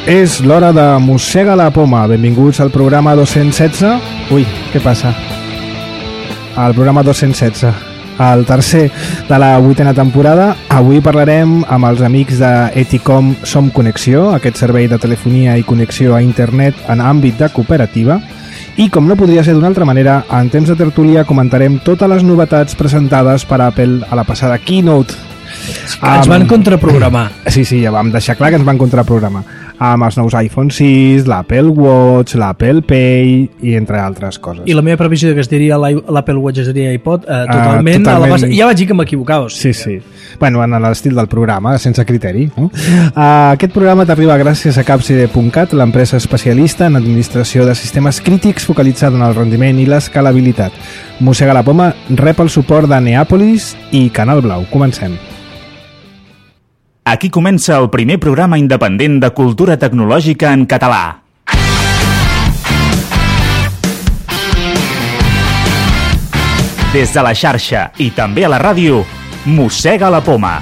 És l'hora de Mossega la Poma. Benvinguts al programa 216. Ui, què passa? Al programa 216, el tercer de la 8a temporada. Avui parlarem amb els amics d'Eticom Som Connexió, aquest servei de telefonia i connexió a internet en àmbit de cooperativa. I com no podria ser d'una altra manera, en temps de tertúlia comentarem totes les novetats presentades per Apple a la passada Keynote. Ens van contraprogramar. Sí, ja vam deixar clar que ens van contraprogramar. Amb els nous iPhone 6, l'Apple Watch, l'Apple Pay i entre altres coses. I la meva previsió de que es diria l'Apple Watch es diria iPod, totalment. A la base. Ja vaig dir que m'equivocava. Sí. Bueno, en l'estil del programa, sense criteri. No? Aquest programa t'arriba gràcies a Capside.cat, l'empresa especialista en administració de sistemes crítics focalitzada en el rendiment i l'escalabilitat. Mossega la Poma rep el suport de Neàpolis i Canal Blau. Comencem. Aquí comença el primer programa independent de cultura tecnològica en català. Des de la xarxa i també a la ràdio, Mossega la Poma.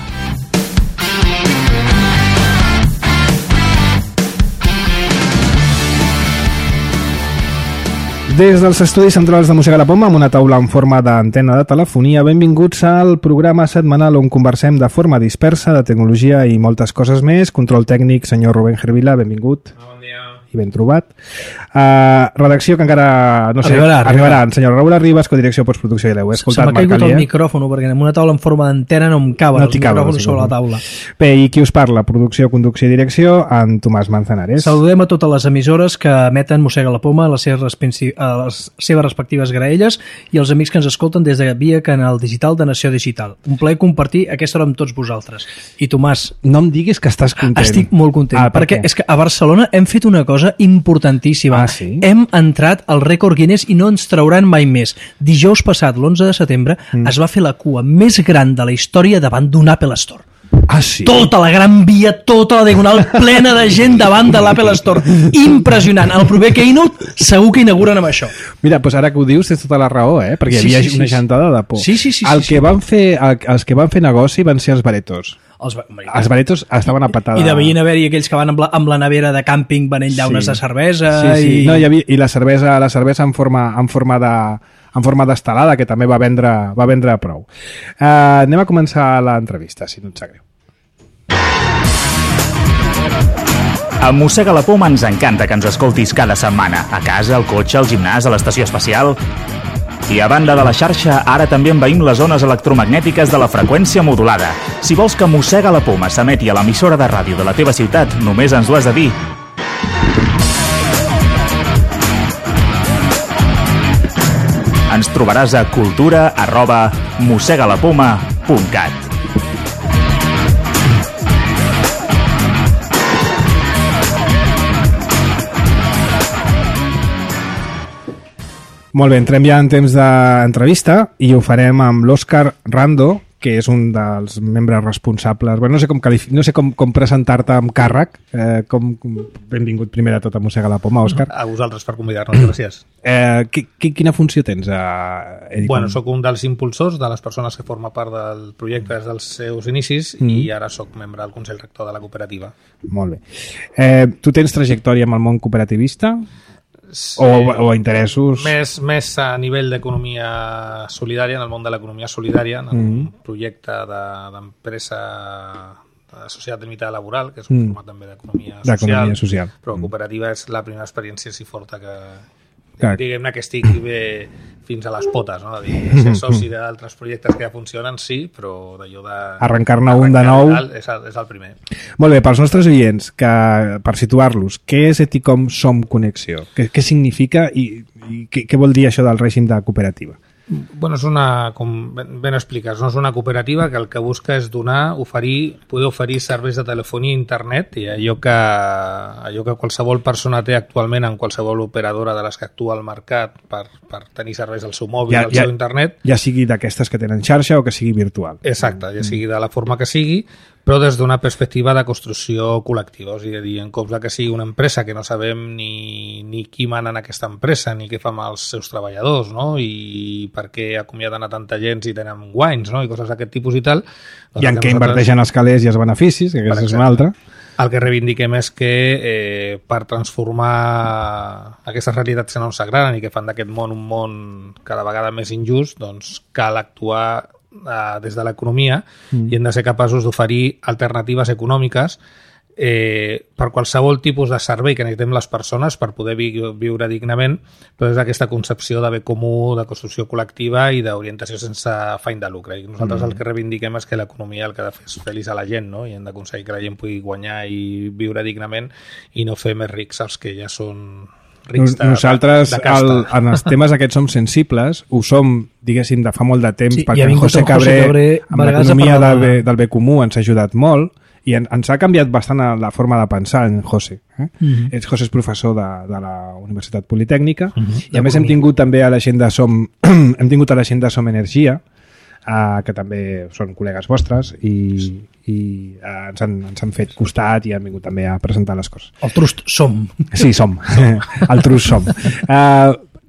Des dels estudis centrals de Mossega la Poma, amb una taula en forma d'antena de telefonia, benvinguts al programa setmanal on conversem de forma dispersa de tecnologia i moltes coses més. Control tècnic, senyor Rubén Gervila, benvingut. Bon dia. I ben trobat. Redacció que encara, no sé, arribarà. En senyor Raül Arribas, codirecció, postproducció i l'heu escoltat. Se m'ha caigut el micròfon, perquè en una taula en forma d'antena no em caben els micròfons sobre la taula. Bé, i qui us parla? Producció, conducció i direcció, en Tomàs Manzanares. Saludem a totes les emissores que emeten Mossega la Poma a les seves respectives graelles i els amics que ens escolten des de via canal digital de Nació Digital. Un plaer compartir aquesta hora amb tots vosaltres. I Tomàs... No em diguis que estàs content. Estic molt content, perquè és que a Barcelona hem fet una cosa importantíssima. Sí? Hem entrat al rècord Guinness i no ens trauran mai més. Dijous passat, l'11 de setembre, es va fer la cua més gran de la història davant d'un Apple Store. Sí? Tota la Gran Via, tota la Diagonal, plena de gent davant de l'Apple Store. Impressionant. El proper Keynote segur que inauguren amb això. Mira, doncs ara que ho dius tens tota la raó, perquè hi havia una gentada de por. Sí. Els que van fer negoci van ser els baretos. Els baretos estaven a patada. I devien haver-hi aquells que van amb la nevera de càmping venent llaunes de cervesa. Sí. No, i la cervesa en forma d'estelada, que també va vendre prou. Anem a començar l'entrevista, si no et sap greu. A Mossega la Poma ens encanta que ens escoltis cada setmana, a casa, al cotxe, al gimnàs, a l'estació espacial. I a banda de la xarxa, ara també envaïm les zones electromagnètiques de la freqüència modulada. Si vols que Mossega la Poma s'emeti a l'emissora de ràdio de la teva ciutat, només ens ho has de dir. Ens trobaràs a cultura@mossegalapoma.cat. Molt bé, entrem ja en temps d'entrevista i ho farem amb l'Òscar Rando, que és un dels membres responsables. Bueno, no sé com presentar-te amb càrrec. Benvingut primer de tot a Mossega la Poma, Òscar. A vosaltres per convidar-nos, gràcies. Quina funció tens a Edicom? Bueno, soc un dels impulsors, de les persones que forma part del projecte des dels seus inicis i ara soc membre del Consell Rector de la cooperativa. Molt bé. Tu tens trajectòria amb el món cooperativista? Sí, o interessos? Més a nivell d'economia solidària, en el món de l'economia solidària, en un projecte d'empresa de societat limitada laboral, que és un format també d'economia social, però cooperativa és la primera experiència així forta que diguem-ne que estic bé fins a les potes, no? De dir, ser soci d'altres projectes que ja funcionen, sí, però d'allò de... Arrencar-ne un de nou... És el primer. Molt bé, pels nostres oients, per situar-los, què és Eticom Som Connexió? Què significa i què vol dir això del règim de cooperativa? Bueno, és com ben expliques, no és una cooperativa que el que busca és poder oferir serveis de telefonia i internet i allò que qualsevol persona té actualment en qualsevol operadora de les que actua al mercat per tenir serveis al seu mòbil, al seu internet. Ja sigui d'aquestes que tenen xarxa o que sigui virtual. Exacte, ja sigui de la forma que sigui, però des d'una perspectiva de construcció col·lectiva, és a dir, en comptes que sigui una empresa que no sabem ni qui mana en aquesta empresa, ni què fa amb els seus treballadors, no? I per què acomiaden a tanta gent si tenen guanys, no? I coses d'aquest tipus i tal. I en què inverteixen els calés i els beneficis, que aquesta és una altra. el que reivindiquem és que per transformar aquestes realitats que no ens agraden i que fan d'aquest món un món cada vegada més injust, doncs cal actuar des de l'economia i hem de ser capaços d'oferir alternatives econòmiques per qualsevol tipus de servei que necessitem les persones per poder viure dignament, però des d'aquesta concepció de bé comú, de construcció col·lectiva i d'orientació sense afany de lucre. I nosaltres el que reivindiquem és que l'economia el que ha de fer és feliç a la gent, no? I hem d'aconseguir que la gent pugui guanyar i viure dignament i no fer més rics els que ja són rics Nosaltres, de casta. en els temes aquests som sensibles, ho som, diguéssim, de fa molt de temps, Sí, perquè en José Cabré, amb l'economia del bé comú, ens ha ajudat molt, i ens ha canviat bastant la forma de pensar en José. José és professor de la Universitat Politècnica i a més hem tingut també a la gent de Som Som Energia, que també són col·legues vostres i ens han fet costat i han vingut també a presentar les coses. El Trust Som. Sí, som. El Trust Som.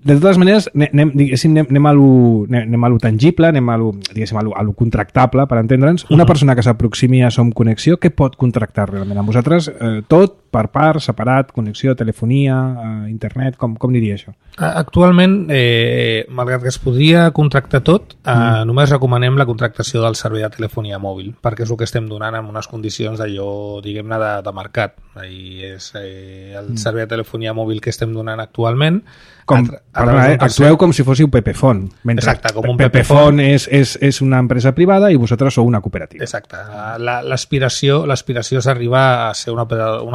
De totes maneres, anem a lo tangible, anem a lo contractable, per entendre'ns. Una persona que s'aproximi a Som Connexió, què pot contractar realment amb vosaltres? Tot, per part, separat, connexió, telefonia, internet, com diria això? Actualment, malgrat que es podria contractar tot, només recomanem la contractació del servei de telefonia mòbil, perquè és el que estem donant en unes condicions d'allò, diguem-ne, de mercat. I és el servei de telefonia mòbil que estem donant actualment. Actueu com si fóssiu Pepefon. Exacte, com un Pepefon és una empresa privada i vosaltres sou una cooperativa. Exacte. L'aspiració és arribar a ser una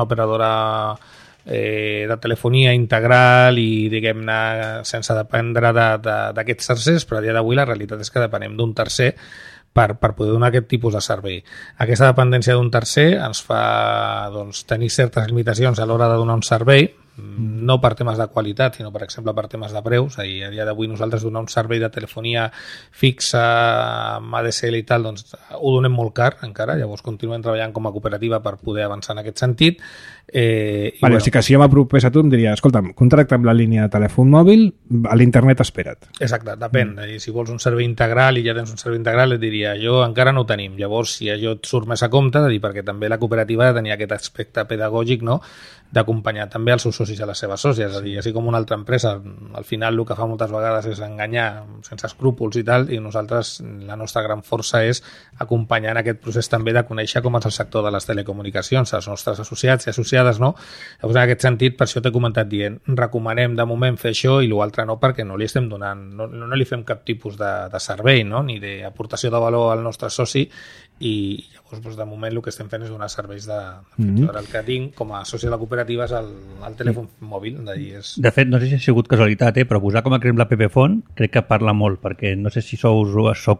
operadora de telefonia integral i, diguem-ne, sense dependre d'aquests tercers, però a dia d'avui la realitat és que depenem d'un tercer per poder donar aquest tipus de servei. Aquesta dependència d'un tercer ens fa tenir certes limitacions a l'hora de donar un servei, no per temes de qualitat, sinó, per exemple, per temes de preus. A dia d'avui nosaltres donar un servei de telefonia fixa amb ADSL i tal, doncs ho donem molt car encara, llavors continuem treballant com a cooperativa per poder avançar en aquest sentit. Així que si jo m'apropés a tu em diria, escolta'm, contracta'm la línia de telèfon mòbil, a l'internet espera't. Exacte, depèn. Si vols un servei integral i ja tens un servei integral, et diria, jo encara no ho tenim. Llavors, si allò et surt més a compte, perquè també la cooperativa ha de tenir aquest aspecte pedagògic, no?, d'acompanyar també els seus socis a les seves sòcies, és a dir, així com una altra empresa, al final el que fa moltes vegades és enganyar sense escrúpols i tal, i nosaltres, la nostra gran força és acompanyar en aquest procés també de conèixer com és el sector de les telecomunicacions, els nostres associats i associades, no? Llavors, en aquest sentit, per això t'he comentat dient, recomanem de moment fer això i l'altre no, perquè no li estem donant, no li fem cap tipus de servei, no?, ni d'aportació de valor al nostre soci, i llavors de moment el que estem fent és donar serveis de el que tinc com a soci de la cooperativa és el telèfon mòbil. De fet, no sé si ha sigut casualitat, però posar com a exemple la Pepefon crec que parla molt, perquè no sé si sou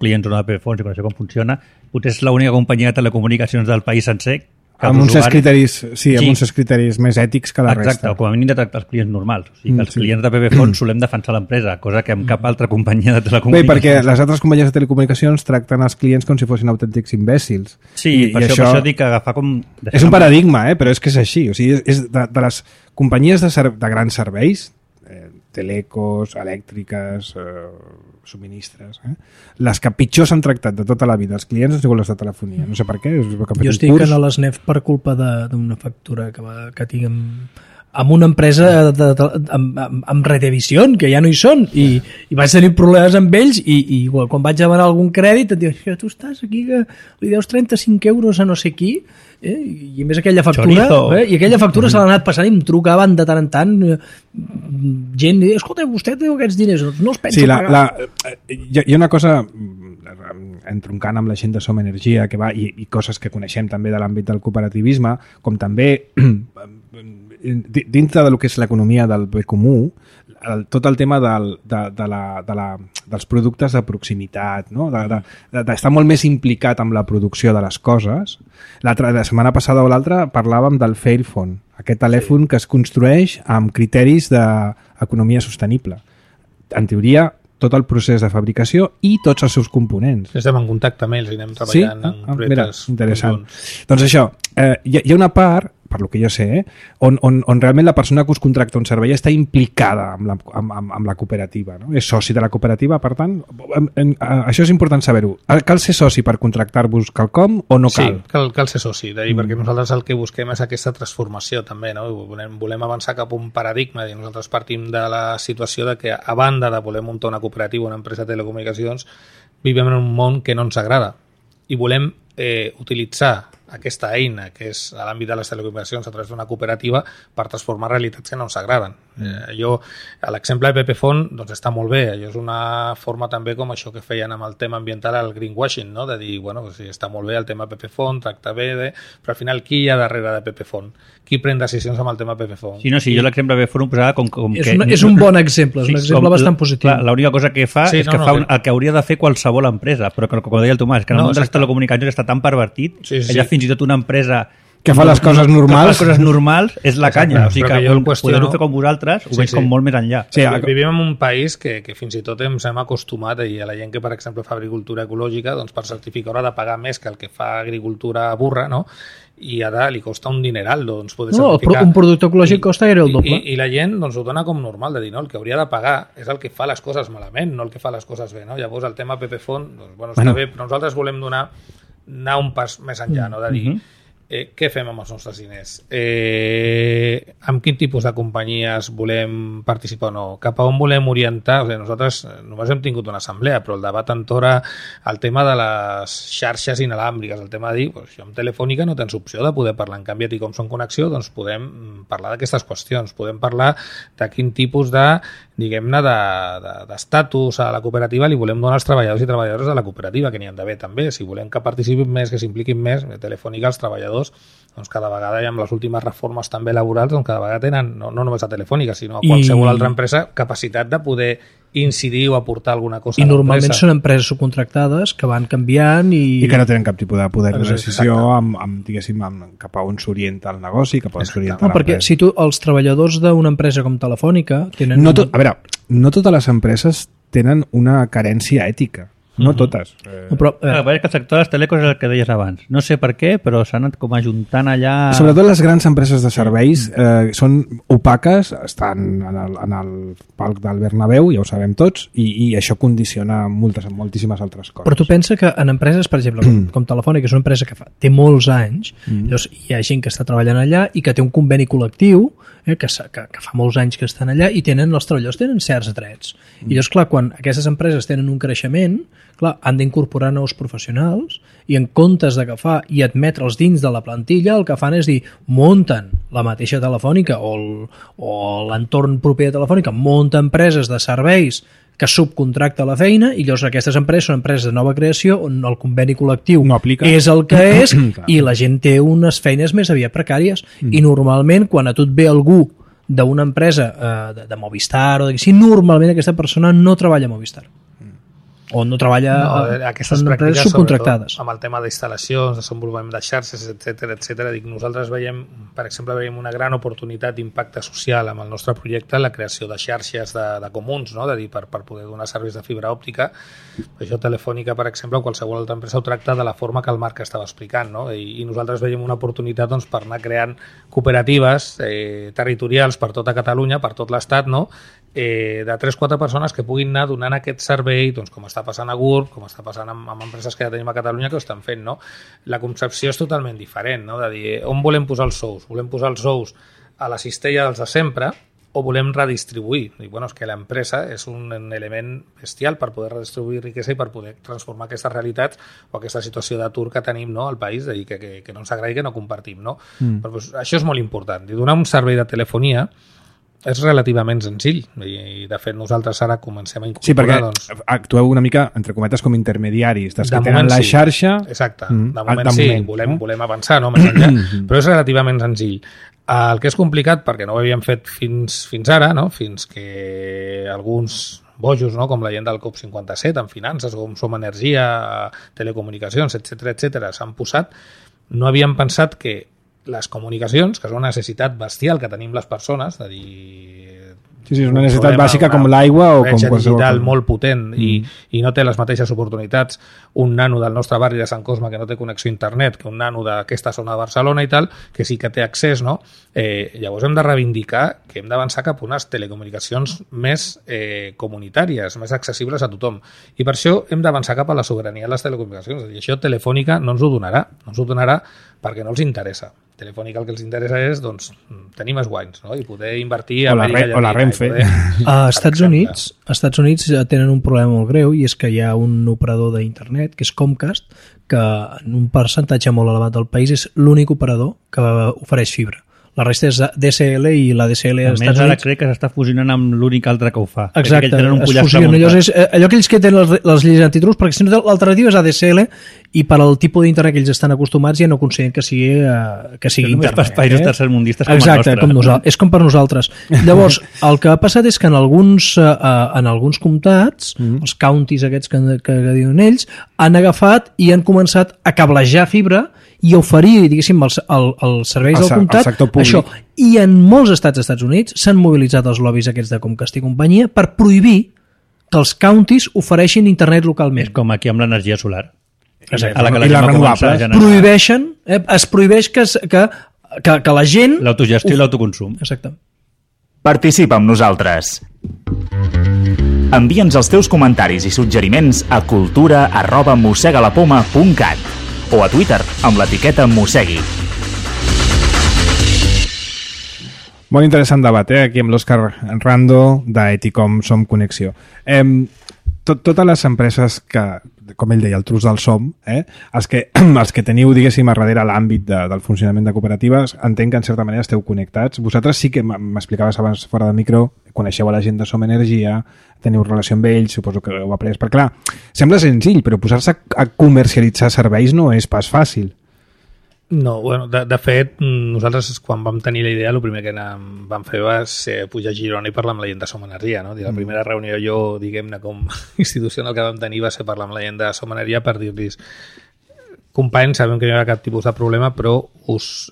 clients o no de Pepefon, si coneixeu com funciona, potser és l'única companyia de telecomunicacions del país sencer amb uns criteris més ètics que la resta. Exacte, o com a mínim de tractar els clients normals. O sigui, que els clients de Pepefon solem defensar l'empresa, cosa que amb cap altra companyia de telecomunicacions... Bé, perquè les altres companyies de telecomunicacions tracten els clients com si fossin autèntics imbècils. Sí, per això dic que agafar com... És un paradigma, però és que és així. O sigui, és de les companyies de grans serveis, telecos, elèctriques, subministres, les que pitjor s'han tractat de tota la vida els clients han sigut les de telefonia, no sé per què. Jo estic a l'ESNEF per culpa d'una factura que tinc amb una empresa amb Redevisión, que ja no hi són, i vaig tenir problemes amb ells, i quan vaig demanar algun crèdit et diuen, tu estàs aquí que li deus 35 euros a no sé qui, i a més aquella factura i aquella factura se l'ha anat passant i em trucaven de tant en tant gent, escolta, vostè té aquests diners, no els penso pagar. Hi ha una cosa entroncant amb la gent de Som Energia que va, i coses que coneixem també de l'àmbit del cooperativisme, com també dintre del que és l'economia del bé comú, tot el tema dels productes de proximitat, no? D'estar molt més implicat amb la producció de les coses. La setmana passada o l'altra parlàvem del Fairphone, aquest telèfon que es construeix amb criteris d'economia sostenible. En teoria, tot el procés de fabricació i tots els seus components. Estem en contacte amb ells i anem treballant en projectes. Mira, interessant. Doncs això, hi ha una part per lo que jo sé, on realment la persona que us contracta un servei està implicada amb la cooperativa, no? És soci de la cooperativa, per tant, això és important saber-ho. Cal ser soci per contractar-vos quelcom o no cal? Sí, cal ser soci, perquè nosaltres el que busquem és aquesta transformació també, no? Volem avançar cap a un paradigma, i nosaltres partim de la situació de que a banda de voler muntar una cooperativa, una empresa de telecomunicacions, vivim en un món que no ens agrada i volem utilitzar aquesta eina que és a l'àmbit de les telecomunicacions a través d'una cooperativa per transformar realitats que no ens agraden. L'exemple de Pepefon doncs està molt bé, allò és una forma també com això que feien amb el tema ambiental, el greenwashing, no? De dir, bueno, sí, està molt bé el tema Pepefon, tracta bé, però al final qui hi ha darrere de Pepefon? Qui pren decisions amb el tema Pepefon? Sí, jo l'exemple de Pepefon ho posava com que... És un bon exemple, és un exemple bastant positiu. L'única cosa que fa és que fa el que hauria de fer qualsevol empresa, però com deia el Tomàs, que en el món de les telecomunicacions està tan pervertit que ja fins i tot una empresa que fa les coses normals és la canya, o sigui que poder-ho fer com vosaltres ho veig com molt més enllà. Vivim en un país que fins i tot ens hem acostumat a la gent que, per exemple, fa agricultura ecològica, doncs per certificar haurà de pagar més que el que fa agricultura burra, no? I ara li costa un dineral doncs, poder certificar. Un producte ecològic costa el doble. I la gent doncs, ho dona com normal, de dir, no, el que hauria de pagar és el que fa les coses malament, no el que fa les coses bé, no? Llavors el tema Pepefon, doncs, bueno, està bé, però nosaltres volem anar un pas més enllà, no? De dir, què fem amb els nostres diners? Amb quin tipus de companyies volem participar o no? Cap a on volem orientar? O sigui, nosaltres només hem tingut una assemblea, però el debat entora el tema de les xarxes inalàmbriques, el tema de dir, doncs, jo amb Telefònica no tens opció de poder parlar, en canvi a ti com som connexió, doncs podem parlar d'aquestes qüestions, podem parlar de quin tipus de, diguem-ne, d'estatus a la cooperativa li volem donar als treballadors i treballadores de la cooperativa, que n'hi han d'haver també. Si volem que participin més, que s'impliquin més, Telefònica, els treballadors, doncs cada vegada, i amb les últimes reformes també laborals, doncs cada vegada tenen, no només a Telefònica, sinó a qualsevol altra empresa, capacitat de poder incidir o aportar alguna cosa a l'empresa. I normalment són empreses subcontractades que van canviant i que no tenen cap tipus de poder de decisió diguéssim, cap a on s'orienta el negoci, cap a on s'orienta l'empresa. Perquè si tu, els treballadors d'una empresa com Telefònica tenen... A veure, no totes les empreses tenen una carència ètica. No totes. Però és que el sector de les telecos és el que deies abans. No sé per què, però s'han anat com ajuntant allà... Sobretot les grans empreses de serveis són opaques, estan en el palc del Bernabéu, ja ho sabem tots, i això condiciona moltíssimes altres coses. Però tu pensa que en empreses, per exemple, com Telefònica, que és una empresa que té molts anys, llavors hi ha gent que està treballant allà i que té un conveni col·lectiu, que fa molts anys que estan allà, i els treballadors tenen certs drets. I llavors, clar, quan aquestes empreses tenen un creixement, clar, han d'incorporar nous professionals i en comptes d'agafar i admetre'ls dins de la plantilla, el que fan és dir, munten la mateixa Telefònica o l'entorn proper de Telefònica, munta empreses de serveis que subcontracta la feina, i llavors aquestes empreses són empreses de nova creació on el conveni col·lectiu és el que és i la gent té unes feines més aviat precàries. I normalment quan a tu et ve algú d'una empresa de Movistar o d'aquí, normalment aquesta persona no treballa a Movistar o no treballa aquestes empreses subcontractades. Amb el tema d'instal·lacions, desenvolupament de xarxes, etc. Nosaltres veiem, per exemple, una gran oportunitat d'impacte social amb el nostre projecte, la creació de xarxes de comuns, no? De dir, per poder donar serveis de fibra òptica. Això Telefònica, per exemple, o qualsevol altra empresa ho tracta de la forma que el Marc estava explicant, no? I nosaltres veiem una oportunitat doncs, per anar creant cooperatives territorials per tota Catalunya, per tot l'Estat, no? De 3-4 persones que puguin anar donant aquest servei, doncs, com està passant a GURB, com està passant amb empreses que ja tenim a Catalunya que ho estan fent, no? La concepció és totalment diferent, no? De dir, on volem posar els sous? Volem posar els sous a la cistella dels de sempre o volem redistribuir? I, bueno, és que l'empresa és un element bestial per poder redistribuir riquesa i per poder transformar aquestes realitats o aquesta situació d'atur que tenim, no, al país, de dir que no ens agradi, que no compartim, no? Però, doncs, això és molt important. I donar un servei de telefonia és relativament senzill i de fet nosaltres ara comencem a incorporar... Sí, perquè actueu una mica, entre cometes, com intermediaris dels que tenen la xarxa... Exacte, de moment sí, volem avançar, no, més enllà, però és relativament senzill. El que és complicat, perquè no ho havíem fet fins ara, no? Fins que alguns bojos, no? Com la gent del COP57 en finances, com Som Energia, telecomunicacions, etc s'han posat, no havíem pensat que les comunicacions, que és una necessitat bestial que tenim les persones, de dir, Sí, és una necessitat bàsica com l'aigua o com qualsevol digital molt potent i no té les mateixes oportunitats un nano del nostre barri de Sant Cosme que no té connexió a internet, que un nano d'aquesta zona de Barcelona i tal, que sí que té accés, no? Llavors hem de reivindicar que hem d'avançar cap a unes telecomunicacions més comunitàries, més accessibles a tothom. I per això hem d'avançar cap a la sobirania de les telecomunicacions. I això Telefònica no ens ho donarà perquè no els interessa. Telefònica el que els interessa és tenir més guanys, no? I poder invertir a Amèrica Llatina. O la Renfe. A Estats Units tenen un problema molt greu i és que hi ha un operador d'internet, que és Comcast, que en un percentatge molt elevat del país és l'únic operador que ofereix fibra. La resta és DSL i la DSL als Estats Units... ara crec que s'està fusionant amb l'únic altre que ho fa. Exacte, es fusiona. Allò que ells que tenen les lleis antitrust, perquè si no l'alternativa és ADSL i per al tipus d'internet que ells estan acostumats ja no consideren que sigui internet. Per països tercermundistes com el nostre. Exacte, com nosaltres. És com per nosaltres. Llavors, el que ha passat és que en alguns comtats, els counties aquests que diuen ells, han agafat i han començat a cablejar fibra i oferir, diguéssim, els serveis del comtat, això. I en molts estats dels Estats Units s'han mobilitzat els lobbies aquests de Comcast i companyia per prohibir que els counties ofereixin internet localment. És com aquí amb l'energia solar. Exacte. I les renovables. Prohibeixen, es prohibeix que la gent... L'autogestió i l'autoconsum. Exacte. Participa amb nosaltres. Envia'ns els teus comentaris i suggeriments a cultura@mossegalapoma.cat o a Twitter amb l'etiqueta Mossegui. Molt interessant debat, aquí amb l'Òscar Rando d'Eticom Som Connexió. Totes les empreses que, com ell deia, el trus del SOM, els que teniu, diguéssim, a darrere l'àmbit del funcionament de cooperatives, entenc que en certa manera esteu connectats. Vosaltres sí que m'explicaves abans fora del micro, coneixeu a la gent de Som Energia, teniu relació amb ells, suposo que heu après. Perquè clar, sembla senzill, però posar-se a comercialitzar serveis no és pas fàcil. No, bueno, de fet, nosaltres quan vam tenir la idea, el primer que vam fer va ser pujar a Girona i parlar amb la gent de Som Energia, no? La primera reunió jo, diguem-ne, com institucional que vam tenir va ser parlar amb la gent de Som Energia per dir-los companys, sabem que no hi ha cap tipus de problema, però us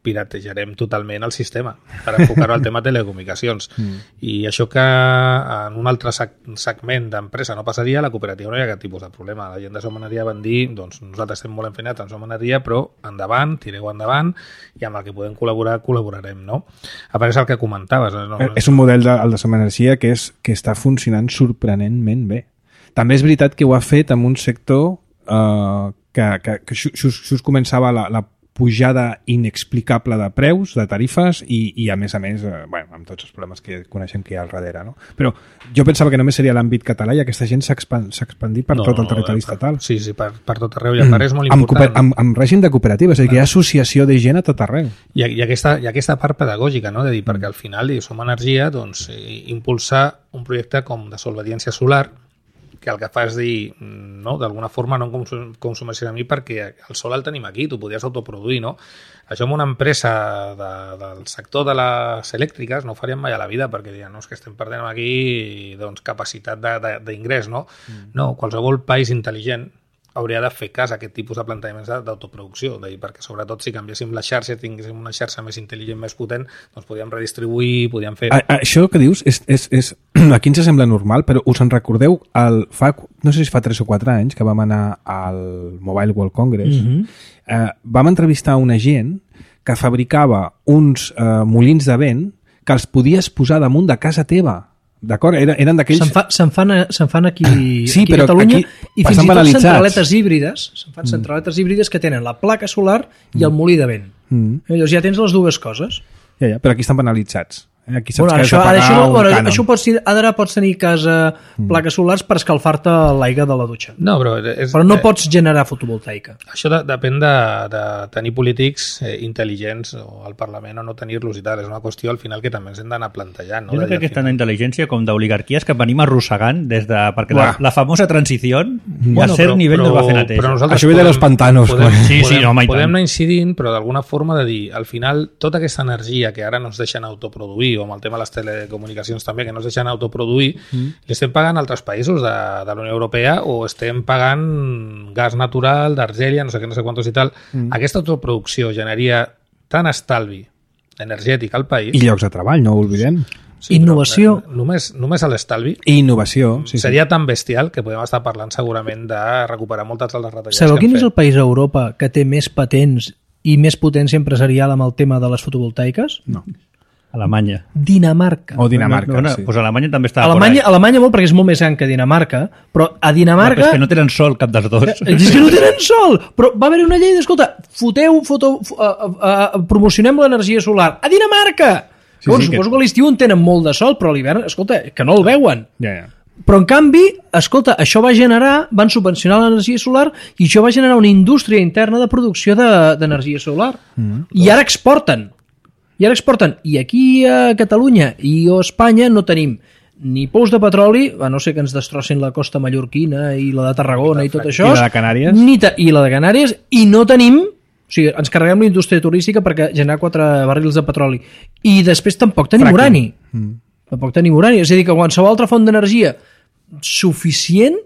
piratejarem totalment el sistema per enfocar-ho al tema de telecomunicacions. I això que en un altre segment d'empresa no passaria, la cooperativa no hi ha cap tipus de problema. La gent de Som Energia van dir, doncs nosaltres estem molt enfeinats en Som Energia, però endavant, tireu endavant, i amb el que podem col·laborar, col·laborarem, no? A part és el que comentaves. És un model el de Som Energia que està funcionant sorprenentment bé. També és veritat que ho ha fet amb un sector que just començava la pujada inexplicable de preus, de tarifes i a més, amb tots els problemes que coneixem que hi ha al darrere, no? Però jo pensava que només seria l'àmbit català i aquesta gent s'ha expandit per tot el territori estatal. Sí, per tot arreu, i a part és molt important. Amb règim de cooperatives, és a dir, que hi ha associació de gent a tot arreu. I aquesta part pedagògica, no? De dir, perquè al final Som Energia impulsar un projecte com de solvediència solar, que el que fa és dir, no, d'alguna forma no consumeixis a mi perquè el sol el tenim aquí, tu podries autoproduir, no? Això en una empresa del sector de les elèctriques no ho faríem mai a la vida perquè dirien, no, és que estem perdent aquí capacitat d'ingrés, no? No, qualsevol país intel·ligent hauria de fer cas a aquest tipus de plantejaments d'autoproducció, perquè sobretot si canviéssim la xarxa, tinguéssim una xarxa més intel·ligent, més potent, doncs podíem redistribuir, podíem fer... Això que dius aquí ens sembla normal, però us en recordeu no sé si fa 3 o 4 anys que vam anar al Mobile World Congress, vam entrevistar una gent que fabricava uns molins de vent que els podies posar damunt de casa teva. D'acord? Eren d'aquells... Se'n fan aquí sí, a Catalunya i fins i tot centraletes híbrides. Se'n fan centraletes híbrides que tenen la placa solar i el molí de vent. Llavors ja tens les dues coses. Ja, però aquí estan penalitzats. Aquí això pots tenir casa plaques solars per escalfar-te l'aigua de la dutxa. No, però no pots generar fotovoltaica. Això depèn de tenir polítics intel·ligents al Parlament o no tenir-los i tal. És una qüestió al final que també ens hem d'anar plantejant. Jo no crec que és tant d'intel·ligència com d'oligarquies que venim arrossegant des de... Perquè la famosa transició a cert nivell no es va fer neteja. Això ve de los pantanos. Podem anar incidint, però d'alguna forma de dir, al final, tota aquesta energia que ara no ens deixen autoproduir o amb el tema de les telecomunicacions també, que no es deixen autoproduir, l'estem pagant altres països de la Unió Europea o estem pagant gas natural d'Argèlia, no sé quantos i tal. Aquesta autoproducció generaria tant estalvi energètic al país... I llocs de treball, no ho oblidem. Sí, innovació. Només a l'estalvi. I innovació, sí. Seria tan bestial que podem estar parlant segurament de recuperar moltes de les retallades. Sabeu quin és el país a Europa que té més patents i més potència empresarial amb el tema de les fotovoltaiques? No. Alemanya. Dinamarca. O Dinamarca, sí. Pues Alemanya també està Alemanya molt, perquè és molt més gran que Dinamarca, però a Dinamarca... No, és que no tenen sol cap dels dos. És que no tenen sol! Però va haver una llei d'escolta, promocionem l'energia solar a Dinamarca! Sí, suposo que a l'estiu en tenen molt de sol, però a l'hivern, escolta, que no el veuen. Ja. Però, en canvi, escolta, això va generar, van subvencionar l'energia solar i això va generar una indústria interna de producció d'energia solar. I ara exporten. I aquí a Catalunya i a Espanya no tenim ni pous de petroli, a no ser que ens destrossin la costa mallorquina i la de Tarragona i tot això. I la de Canàries. I la de Canàries. I no tenim... O sigui, ens carreguem la indústria turística perquè generar 4 barrils de petroli. I després tampoc tenim urani. Tampoc tenim urani. És a dir, que qualsevol altra font d'energia suficient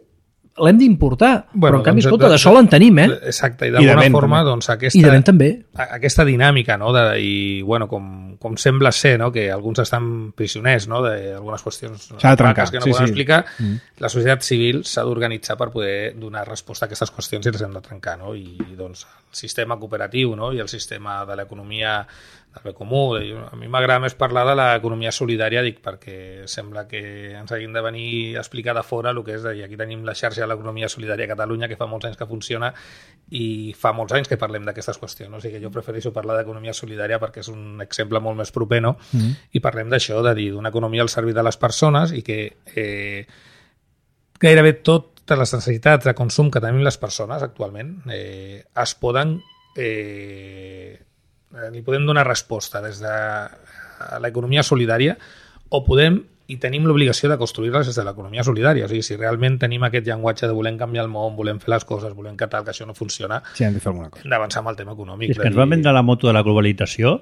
l'hem d'importar. Però, en canvi, escolta, de sol en tenim, Exacte, i d'alguna forma, doncs, I de vent també. Aquesta dinàmica, no?, i, bueno, com sembla ser, no?, que alguns estan prisioners, no?, d'algunes qüestions s'ha de trencar, que no poden explicar, la societat civil s'ha d'organitzar per poder donar resposta a aquestes qüestions i les hem de trencar, no?, i, doncs, el sistema cooperatiu, no?, i el sistema de l'economia del bé comú. A mi m'agrada més parlar de l'economia solidària, dic, perquè sembla que ens hagin de venir a explicar de fora el que és, i aquí tenim la xarxa de l'economia solidària a Catalunya, que fa molts anys que funciona i fa molts anys que parlem d'aquestes qüestions. O sigui que jo prefereixo parlar d'economia solidària perquè és un exemple molt més proper, no? I parlem d'això, de dir, d'una economia al servei de les persones i que gairebé totes les necessitats de consum que tenim les persones actualment es poden... li podem donar resposta des de l'economia solidària o podem i tenim l'obligació de construir-les des de l'economia solidària. O sigui, si realment tenim aquest llenguatge de volem canviar el món, volem fer les coses, volem que tal, que això no funciona, sí, hem de fer alguna cosa. Hem d'avançar amb el tema econòmic. És que ens van vendre la moto de la globalització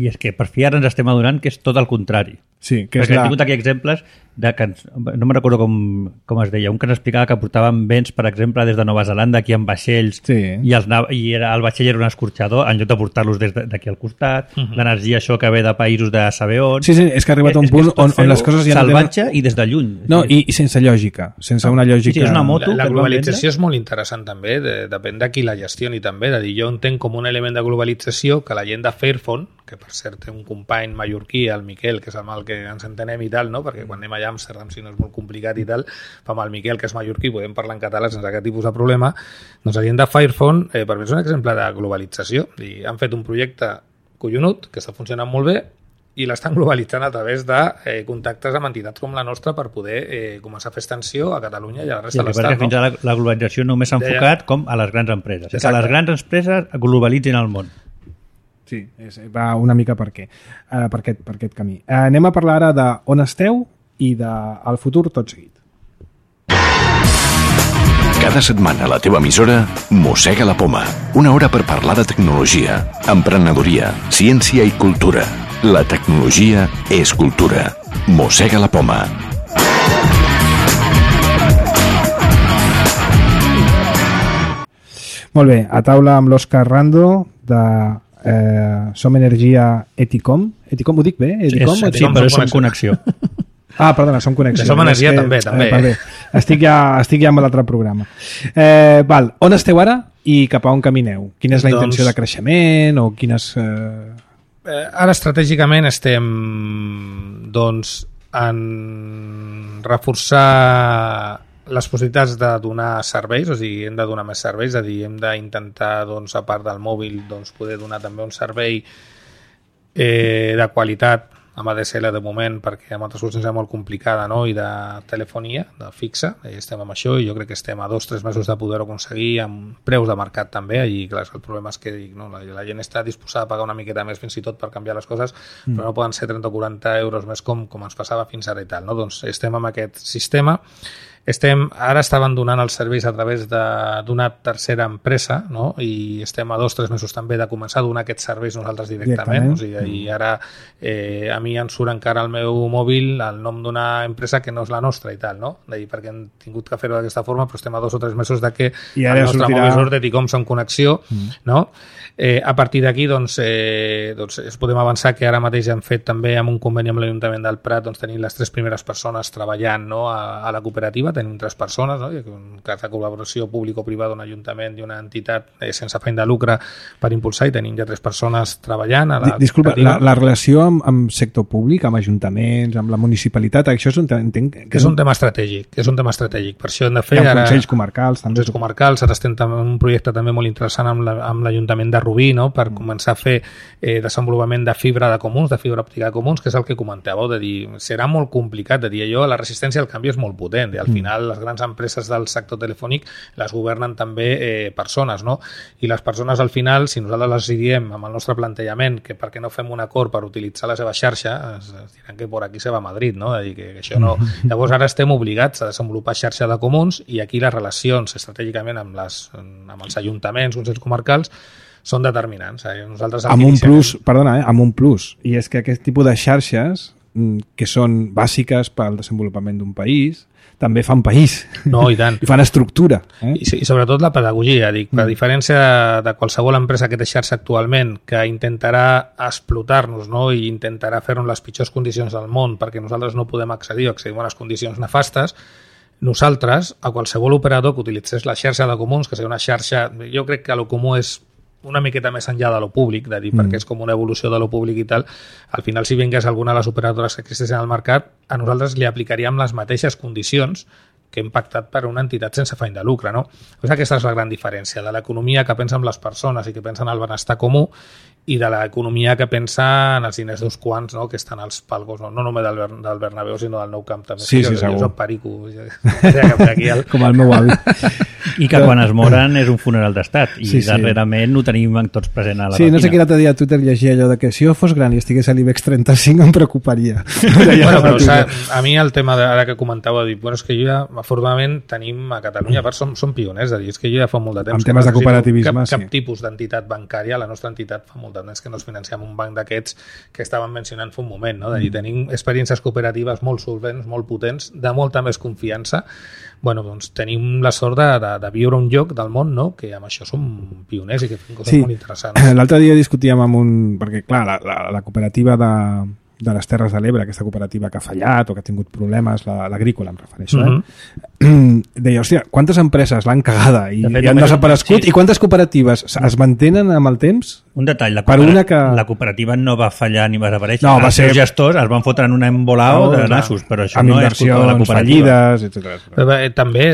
i és que per fi ara ens estem adonant que és tot el contrari. Sí, que perquè hem tingut aquí exemples de que no me'n recordo com es deia, un que ens explicava que portaven béns, per exemple, des de Nova Zelanda aquí en vaixells, i el vaixell era un escorxador en lloc de portar-los d'aquí al costat, l'energia això que ve de països de saber on. Sí, és que ha arribat a un punt on les coses ja salvatge i des de lluny. No, i sense lògica, sense una lògica. Sí, és una moto. La globalització és molt interessant també, depèn de qui la gestioni també, de dir, jo entenc com un element de globalització que la gent de Fairphone, que per cert té un company mallorquí, el Miquel, que és amb el que ens entenem i tal, no? Perquè quan anem allà a Amsterdam, si no és molt complicat i tal, amb el Miquel, que és mallorquí, podem parlar en català sense aquest tipus de problema. Doncs la gent de Fairphone, per mi és un exemple de globalització. I han fet un projecte collonut, que està funcionant molt bé, i l'estan globalitzant a través de contactes amb entitats com la nostra per poder començar a fer extensió a Catalunya i a la resta de l'Estat. Fins ara la globalització només s'ha enfocat com a les grans empreses. Que les grans empreses globalitzin el món. Sí, va una mica per aquest camí. Anem a parlar ara d'on esteu i del futur tot seguit. Cada setmana a la teva emissora Mossega la Poma. Una hora per parlar de tecnologia, emprenedoria, ciència i cultura. La tecnologia és cultura. Mossega la Poma. Molt bé, a taula amb l'Òscar Rando de Som Energia Eticom. Eticom, ho dic bé? Eticom? Sí, però Som Connexió. Ah, perdona, Som Connexió. Som Energia també. Estic ja amb l'altre programa. On esteu ara i cap a on camineu? Quina és la intenció de creixement o quines... Ara estratègicament estem en reforçar les possibilitats de donar serveis, o sigui, hem de donar més serveis, és a dir, hem d'intentar, a part del mòbil, poder donar també un servei de qualitat amb ADSL de moment, perquè amb altres qüestions és molt complicada, no? I de telefonia, de fixa, estem amb això i jo crec que estem a 2 o 3 mesos de poder-ho aconseguir amb preus de mercat també, i clar, el problema és que la gent està disposada a pagar una miqueta més fins i tot per canviar les coses, però no poden ser 30 o 40 euros més com ens passava fins ara i tal, no? Doncs estem amb aquest sistema. Ara estaven donant els serveis a través d'una tercera empresa, no? I estem a 2 o 3 mesos també de començar a donar aquests serveis nosaltres directament. O sigui, i ara a mi em surt encara al meu mòbil el nom d'una empresa que no és la nostra i tal, no? Perquè hem tingut que fer-ho d'aquesta forma, però estem a 2 o 3 mesos de que el nostre mòbil surt de Ticom en connexió, no? A partir d'aquí doncs podem avançar que ara mateix hem fet també amb un conveni amb l'Ajuntament del Prat, doncs tenim les 3 primeres persones treballant, no, a la cooperativa, tenim 3 persones, no? Un cas de col·laboració público-privada d'un ajuntament i una entitat sense afany de lucre per impulsar, i tenim ja 3 persones treballant a la Disculpa, la relació amb sector públic, amb ajuntaments, amb la municipalitat, això és un tema estratègic, per això hem de fer ara consells comarcals, ara estem en un projecte també molt interessant amb l'Ajuntament de Rubí, no? Per començar a fer desenvolupament de fibra de comuns, de fibra òptica de comuns, que és el que comentàveu, de dir, serà molt complicat, de dir allò, la resistència al canvi és molt potent, i al final les grans empreses del sector telefònic les governen també persones, no? I les persones al final, si nosaltres les diem amb el nostre plantejament que per què no fem un acord per utilitzar la seva xarxa, es diran que por aquí se va a Madrid, no? És a dir, que això no... Llavors ara estem obligats a desenvolupar xarxa de comuns, i aquí les relacions estratègicament amb els ajuntaments, consells comarcals, són determinants. Nosaltres amb un plus, i és que aquest tipus de xarxes que són bàsiques pel desenvolupament d'un país també fan país. No, i tant. I fan estructura. I sobretot la pedagogia. A diferència de qualsevol empresa que té xarxa actualment, que intentarà explotar-nos, no? I intentarà fer-nos les pitjors condicions del món perquè nosaltres no podem accedir a unes condicions nefastes, nosaltres, a qualsevol operador que utilitzés la xarxa de comuns, que sigui una xarxa... Jo crec que lo comú és una miqueta més enllà de lo públic, de dir, perquè és com una evolució de lo públic i tal, al final si vingués alguna de les operadores que existeixen al mercat, a nosaltres li aplicaríem les mateixes condicions que hem pactat per una entitat sense afany de lucre, no? Doncs aquesta és la gran diferència de l'economia que pensa en les persones i que pensa en el benestar comú, i de l'economia que pensa en els diners d'uns quants, no? Que estan als palcos, no només del Bernabéu, sinó del Nou Camp també. Sí, segur. Jo perico. Com el meu avi. I que quan es moren és un funeral d'estat, i darrerament ho tenim tots present a la màquina. No sé quin altre dia a Twitter llegia allò de que si jo fos gran i estigués a l'IBEX 35 em preocuparia. Però a mi el tema ara que comentava, és que jo ja, afortunadament, tenim a Catalunya, a part som pioners, és que jo ja fa molt de temps... En temes de cooperativisme, cap tipus d'entitat bancària, la nostra entitat fa molt de temps que no es financiem un banc d'aquests que estàvem mencionant fa un moment, no? De dir, tenim experiències cooperatives molt solvents, molt potents, de molta més confiança. Bueno, doncs tenim la sort de viure un lloc del món, no? Que amb això som pioners i que fem coses molt interessants. L'altre dia discutíem amb perquè clar, la cooperativa de les Terres de l'Ebre, aquesta cooperativa que ha fallat o que ha tingut problemes, l'agrícola em refereixo, deia, hòstia, quantes empreses l'han cagada i han desaparegut, i quantes cooperatives es mantenen amb el temps? Un detall, la cooperativa no va fallar ni va desaparèixer. Els seus gestors es van fotre en un embolao de nassos, però això no és culpa de la cooperativa. Fallides, també,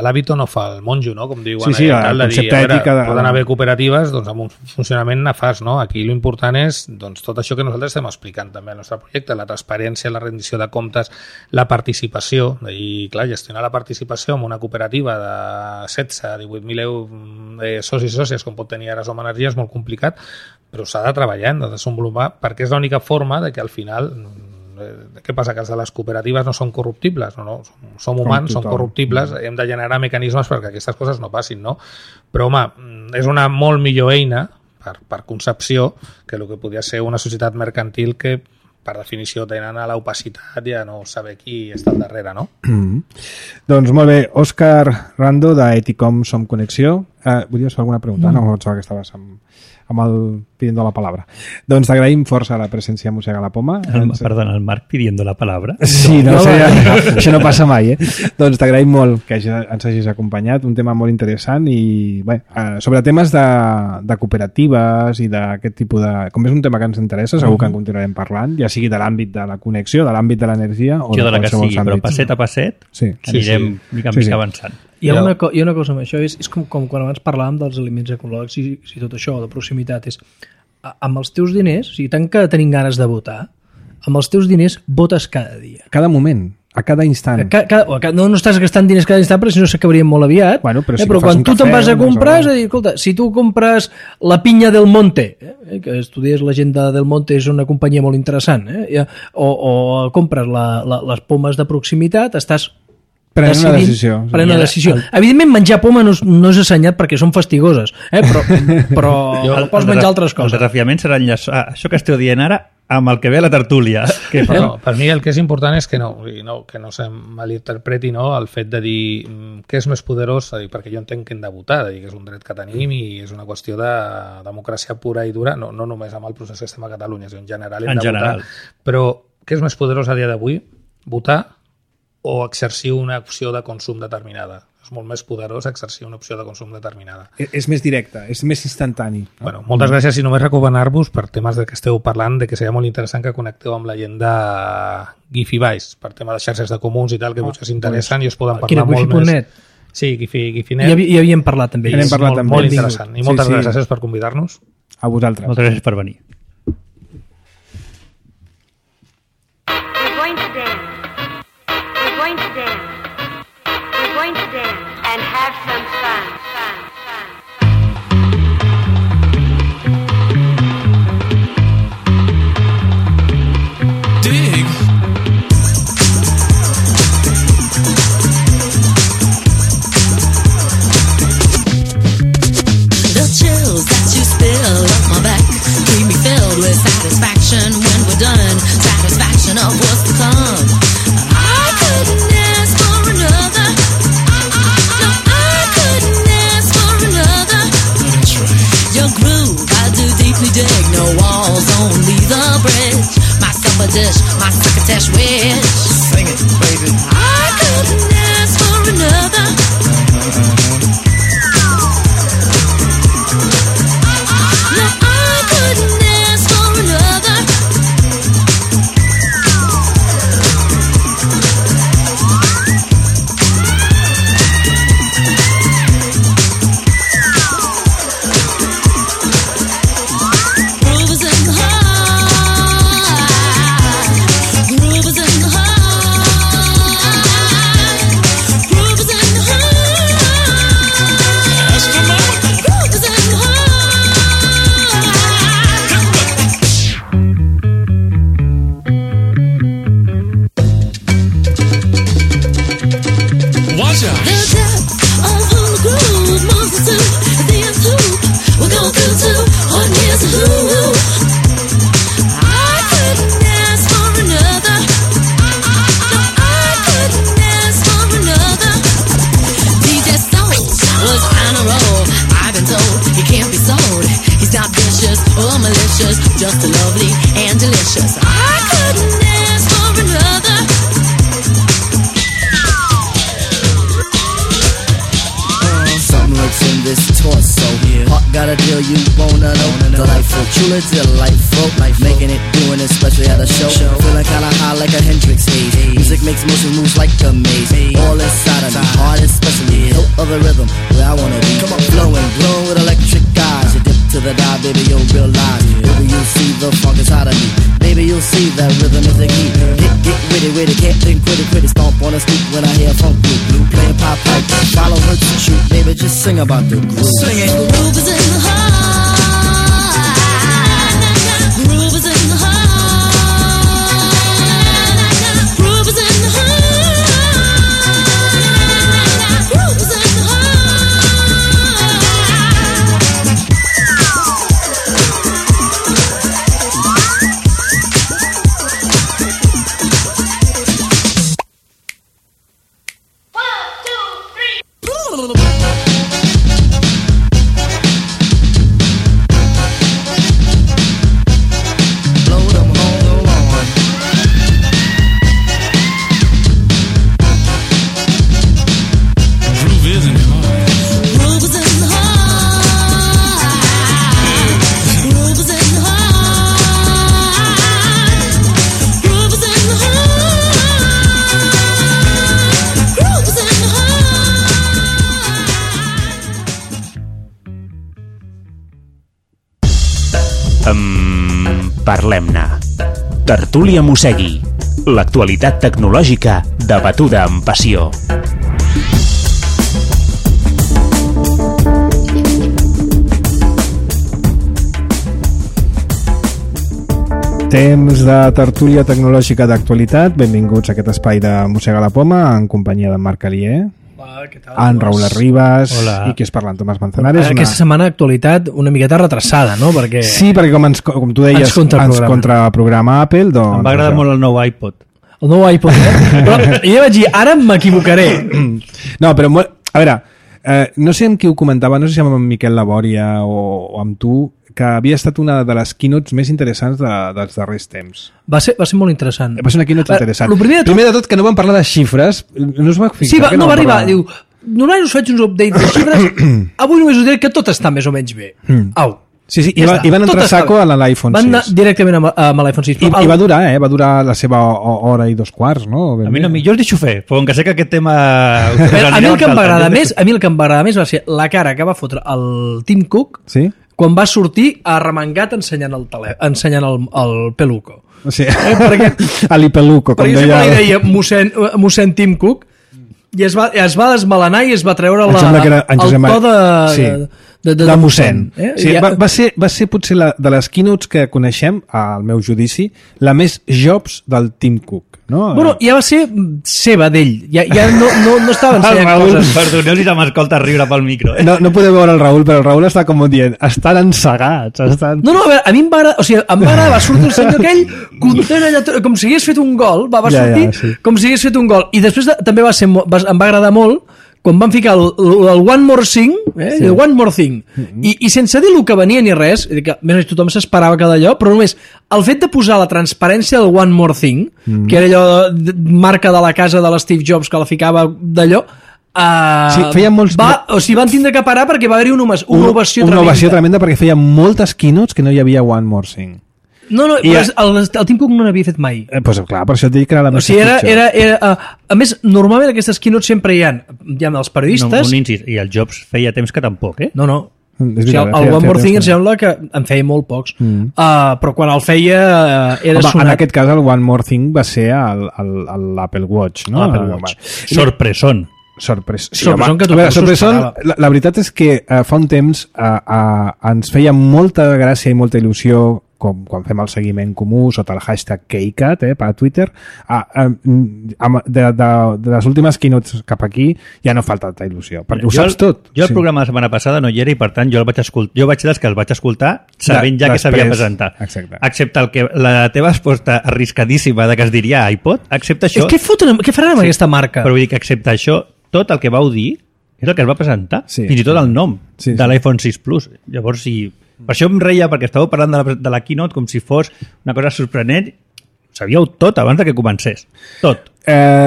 l'hàbito no fa el monjo, no? Com diuen. Sí, el concepte ètic. Poden haver cooperatives amb un funcionament nefast, no? Aquí l'important és tot això que nosaltres estem explicant també al nostre projecte, la transparència, la rendició de comptes, la participació, i clar, gestionar la participació en una cooperativa de 16-18.000 socis i sòcies, com pot tenir ara Som Energia, és molt complicat, però s'ha de treballar, de desenvolupar, perquè és l'única forma de que al final... Què passa? Que els de les cooperatives no són corruptibles, no? Som humans, som corruptibles, hem de generar mecanismes perquè aquestes coses no passin, no? Però, home, és una molt millor eina per concepció que el que podria ser una societat mercantil que per definició tenen a l'opacitat i a no saber qui està al darrere, no? Doncs molt bé, Òscar Rando d'Eticom Som Connexió. Volies fer alguna pregunta? No, em sembla que estaves amb el pidiendo la palabra. Doncs t'agraïm força la presència a Mossega la Poma. Perdona, el Marc pidiendo la palabra? Sí, això no passa mai, Doncs t'agraïm molt que ens hagis acompanyat, un tema molt interessant i bé, sobre temes de cooperatives i d'aquest tipus de... Com és un tema que ens interessa, segur que en continuarem parlant, ja sigui de l'àmbit de la connexió, de l'àmbit de l'energia o de la que sigui, però passet a passet anirem mica en mica avançant. Hi ha una cosa amb això, és com quan abans parlàvem dels aliments ecològics i tot això, de proximitat, és amb els teus diners, o sigui, tant que tenim ganes de votar, amb els teus diners votes cada dia. Cada moment, a cada instant. No estàs gastant diners cada instant, perquè si no s'acabarien molt aviat. Bueno, però quan tu te'n vas a comprar, és a dir, escolta, si tu compres la pinya del Monte, que estudies l'agenda del Monte, és una companyia molt interessant, o compres les pomes de proximitat, estàs prenent una decisió. Evidentment, menjar poma no és assenyat perquè són fastigoses, però pots menjar altres coses. El desafiament serà enllaçar això que esteu dient ara amb el que ve a la tertúlia. Per mi el que és important és que no se malinterpreti el fet de dir què és més poderós, perquè jo entenc que hem de votar, que és un dret que tenim i és una qüestió de democràcia pura i dura, no només amb el procés que estem a Catalunya, sinó en general hem de votar. Però què és més poderós a dia d'avui? Votar o exercir una opció de consum determinada? És molt més poderós exercir una opció de consum determinada. És més directe, és més instantani. Bueno, moltes gràcies i només recomanar-vos per temes de que esteu parlant, de que seria molt interessant que connecteu amb la gent de Gifibais, per tema de xarxes de comuns i tal, que potser s'interessen i us poden parlar molt més. Sí, Gifinet. Ja havíem parlat també. Molt interessant. I moltes gràcies per convidar-nos. A vosaltres. Moltes gràcies per venir. And have some fun. Dig. The chills that you spill up my back keep me filled with satisfaction when we're done. Satisfaction of what's to come. I couldn't ask for another. Your groove, I do deeply dig. No walls, only the bridge. My supper dish, my crocketesh wish. Sing it, baby. I couldn't ask for another. No, I couldn't ask for another. Just lovely and delicious. I couldn't ask for another. Something lurks in this torso. Heart got a deal you wanna know. Delightful, truly delightful. Making it, doing it, especially at a show. Feeling kinda high like a Hendrix haze. Music makes motion moves like a maze. All inside of me, heart especially. No other rhythm where I wanna be. Come on, flowing, glowing with electric eyes. You dip to the dive, baby, you'll realize. Baby, you'll see the funk inside of me. Baby, you'll see that rhythm is the key. Get witty, can't think quitty. Stomp on the street when I hear funk blue. Playing pop pipe, follow her to shoot. Baby, just sing about the groove. Sing it. The groove is in the heart. Groove is in the heart. Groove is in the heart. Groove is in the heart. Parlem-ne. Tertúlia Mossegui. L'actualitat tecnològica debatuda amb passió. Temps de tertúlia tecnològica d'actualitat. Benvinguts a aquest espai de Mossega la Poma en companyia de Marc Alier. Hola, què tal? En Raúl Arribas. Hola. I qui és parlant? Tomàs Manzanares. Aquesta setmana actualitat una miqueta retrasada, no? Perquè Sí, perquè com tu deies, ens contraprograma Apple, doncs... Em va agradar molt el nou iPod. El nou iPod, Però jo vaig dir, ara m'equivocaré. No, però... A veure, no sé amb qui ho comentava, no sé si amb Miquel Labòria o amb tu, que havia estat una de les keynotes més interessants dels darrers temps. Va ser molt interessant. Va ser una keynote interessant. Primer de tot, que no vam parlar de xifres, no es va fixar. Sí, no va arribar, diu, normalment us faig uns updates de xifres, avui només us diré que tot està més o menys bé. Au. Sí, i van entrar saco a l'iPhone 6. Van anar directament amb l'iPhone 6. I va durar la seva hora i 2 quarts, no? A mi no, jo us deixo fer, però que sé que aquest tema... A mi el que em va agradar més va ser la cara que va fotre el Tim Cook quan va sortir arremangat ensenyant el peluco. Sí, l'Ipeluco. Perquè jo sempre li deia mossèn Tim Cook i es va desmelenar i es va treure el to de mossèn. Sí, va ser potser de les keynotes que coneixem, al meu judici, la més Jobs del Tim Cook. No? Bueno, ja va ser seva d'ell. Ja no estava ensenyant coses. Perdoneu si se'm escolta riure pel micro. No podeu veure el Raül, però el Raül està com dient, estan ensegats. No, a veure, a mi em va agradar, va sortir el senyor aquell content allà, com si hagués fet un gol, va sortir com si hagués fet un gol. I després també em va agradar molt quan van ficar el One More Thing, el One More Thing, i sense dir el que venia ni res, que més tothom s'esperava que d'allò, però només el fet de posar la transparència del One More Thing, que era allò marca de la casa de l'Steve Jobs que la ficava d'allò, van tindre que parar perquè va haver-hi una ovació tremenda. Una ovació tremenda perquè feia moltes keynotes que no hi havia One More Thing. No, el Tim Cook no n'havia fet mai. Pues clar, per això et dic que era la més pitjor. A més, normalment aquestes keynotes sempre hi ha els periodistes... I el Jobs feia temps que tampoc, eh? No. El One More Thing em sembla que en feia molt pocs. Però quan el feia era sonat. En aquest cas el One More Thing va ser l'Apple Watch, no? L'Apple Watch. Sorpresón. La veritat és que fa un temps ens feia molta gràcia i molta il·lusió quan fem el seguiment comú sota el hashtag KeyCat per Twitter, de les últimes keynotes cap aquí ja no falta tanta il·lusió, perquè ho saps tot. Jo el programa la setmana passada no hi era i per tant jo vaig dels que el vaig escoltar sabent ja que s'havia presentat. Excepte la teva resposta arriscadíssima de que es diria iPod, excepte això... Què faran amb aquesta marca? Però vull dir que excepte això, tot el que vau dir és el que es va presentar, fins i tot el nom de l'iPhone 6 Plus. Llavors, per això em reia, perquè estàveu parlant de la keynote com si fos una cosa sorprenent. Sabíeu tot abans que comencés. Tot.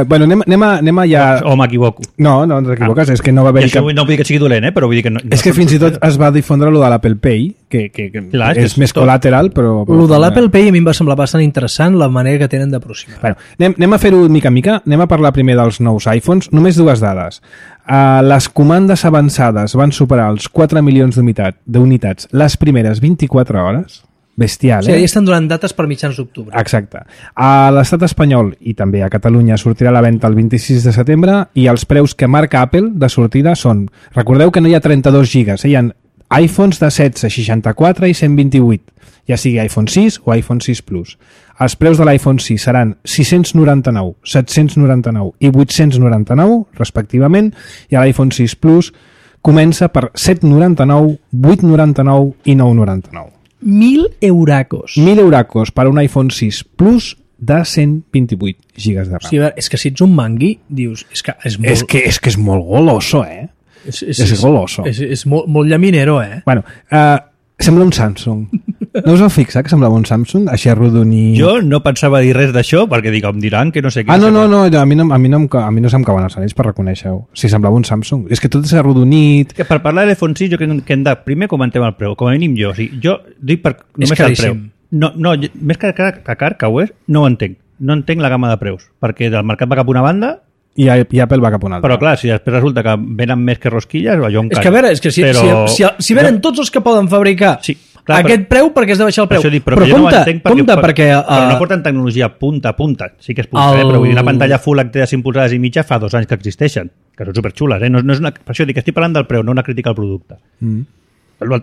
Bueno, anem a ja... O m'equivoco. No t'equivoques, és que no va haver-hi cap... No vull dir que sigui dolent, però vull dir que no... És que fins i tot es va difondre lo de l'Apple Pay, que és més col·lateral, però... Lo de l'Apple Pay a mi em va semblar bastant interessant la manera que tenen d'aproximar. Bueno, anem a fer-ho mica en mica, anem a parlar primer dels nous iPhones, només 2 dades. Les comandes avançades van superar els 4 milions d'unitats les primeres 24 hores. Bestial, ja estan donant dates per mitjans d'octubre. Exacte. A l'estat espanyol i també a Catalunya sortirà a la venda el 26 de setembre i els preus que marca Apple de sortida són... Recordeu que no hi ha 32 gigas, hi ha iPhones de 16, 64 i 128, ja sigui iPhone 6 o iPhone 6 Plus. Els preus de l'iPhone 6 seran 699, 799 i 899, respectivament, i l'iPhone 6 Plus comença per 799, 899 i 999. 1.000 euracos. 1.000 euracos per un iPhone 6 Plus de 128 gigas de RAM. Sí, és que si ets un mangui, dius... És que és molt goloso, És goloso. És molt llaminero, Bueno, sembla un Samsung. No us heu fixat que semblava un Samsung? Així arrodonit... Jo no pensava dir res d'això, perquè dic, em diran que no sé què... No, a mi no se'm cauen els anells per reconèixer-ho. Si semblava un Samsung. És que tot és arrodonit... Per parlar de l'iPhone 6, jo crec que hem de... Primer comentem el preu, com a mínim jo. O sigui, jo dic només el preu. No, més que car que ho és, no ho entenc. No entenc la gamma de preus, perquè el mercat va cap a una banda i Apple va cap a una altra. Però clar, si després resulta que venen més que rosquilles, jo em callo. És que a veure, si venen tots els que poden fabricar aquest preu, perquè has de baixar el preu. Però compte, perquè... Però no porten tecnologia punta a punta. Sí que és punta, però vull dir, una pantalla Full HD de 5 polzades i mitja fa 2 anys que existeixen, que són superxules, No és una... Per això dic que estic parlant del preu, no una crítica al producte.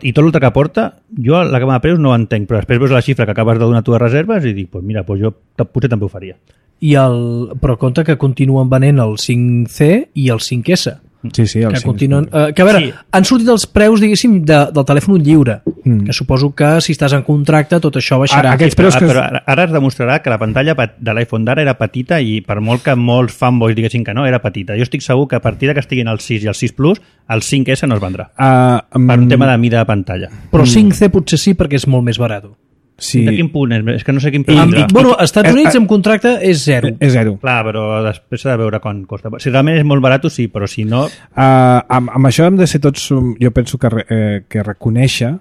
I tot l'altre que porta, jo la gamma de preus no ho entenc, però després veus la xifra que acabes de donar tu de reserves i dic, mira, jo potser també ho faria. Però compte que continuen venent el 5C i el 5S. Sí, el que 5. continuen... que a veure, han sortit els preus, diguéssim, del telèfon lliure, que suposo que si estàs en contracte tot això baixarà. Aquests preus però ara es demostrarà que la pantalla de l'iPhone d'ara era petita i per molt que molts fanboys diguessin que no, era petita. Jo estic segur que a partir que estiguin el 6 i el 6 Plus, el 5S no es vendrà. Per un tema de mida de pantalla. Però 5C potser sí perquè és molt més barat. Sí. De quin punt és? És que no sé quin preu. Bueno, als Estats Units amb contracte és 0. És 0. Clar, però després s'ha de veure quan costa. Si realment és molt barat, sí, però si no... Amb això hem de ser tots, jo penso que reconèixer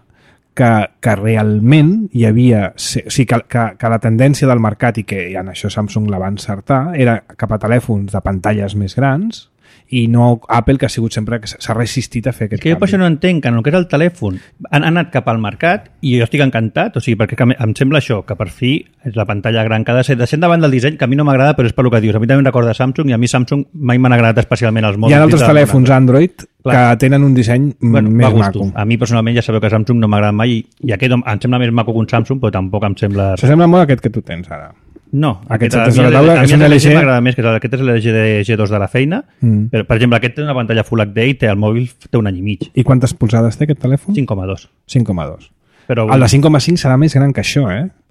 que realment hi havia... O sigui, que la tendència del mercat, i que en això Samsung la va encertar, era cap a telèfons de pantalles més grans, i no Apple, que ha sigut sempre que s'ha resistit a fer aquest canvi. Jo per això no entenc que en el que és el telèfon han anat cap al mercat i jo estic encantat, o sigui, perquè em sembla això, que per fi és la pantalla gran que ha de ser, deixant davant del disseny, que a mi no m'agrada, però és per el que dius. A mi també em recorda Samsung, i a mi Samsung mai m'han agradat especialment els mòbils. Hi ha altres telèfons Android que tenen un disseny més maco. A mi personalment ja sabeu que Samsung no m'agrada mai i aquest em sembla més maco que un Samsung, però tampoc em sembla... S'assembla molt a aquest que tu tens ara. No, aquest és la taula, és un LG. M'agrada més, que aquest és l'LG de G2 de la feina, però, per exemple, aquest té una pantalla Full HD i el mòbil té un any i mig. I quantes polzades té aquest telèfon? 5,2. 5,2. Però el de 5,5 serà més gran que això,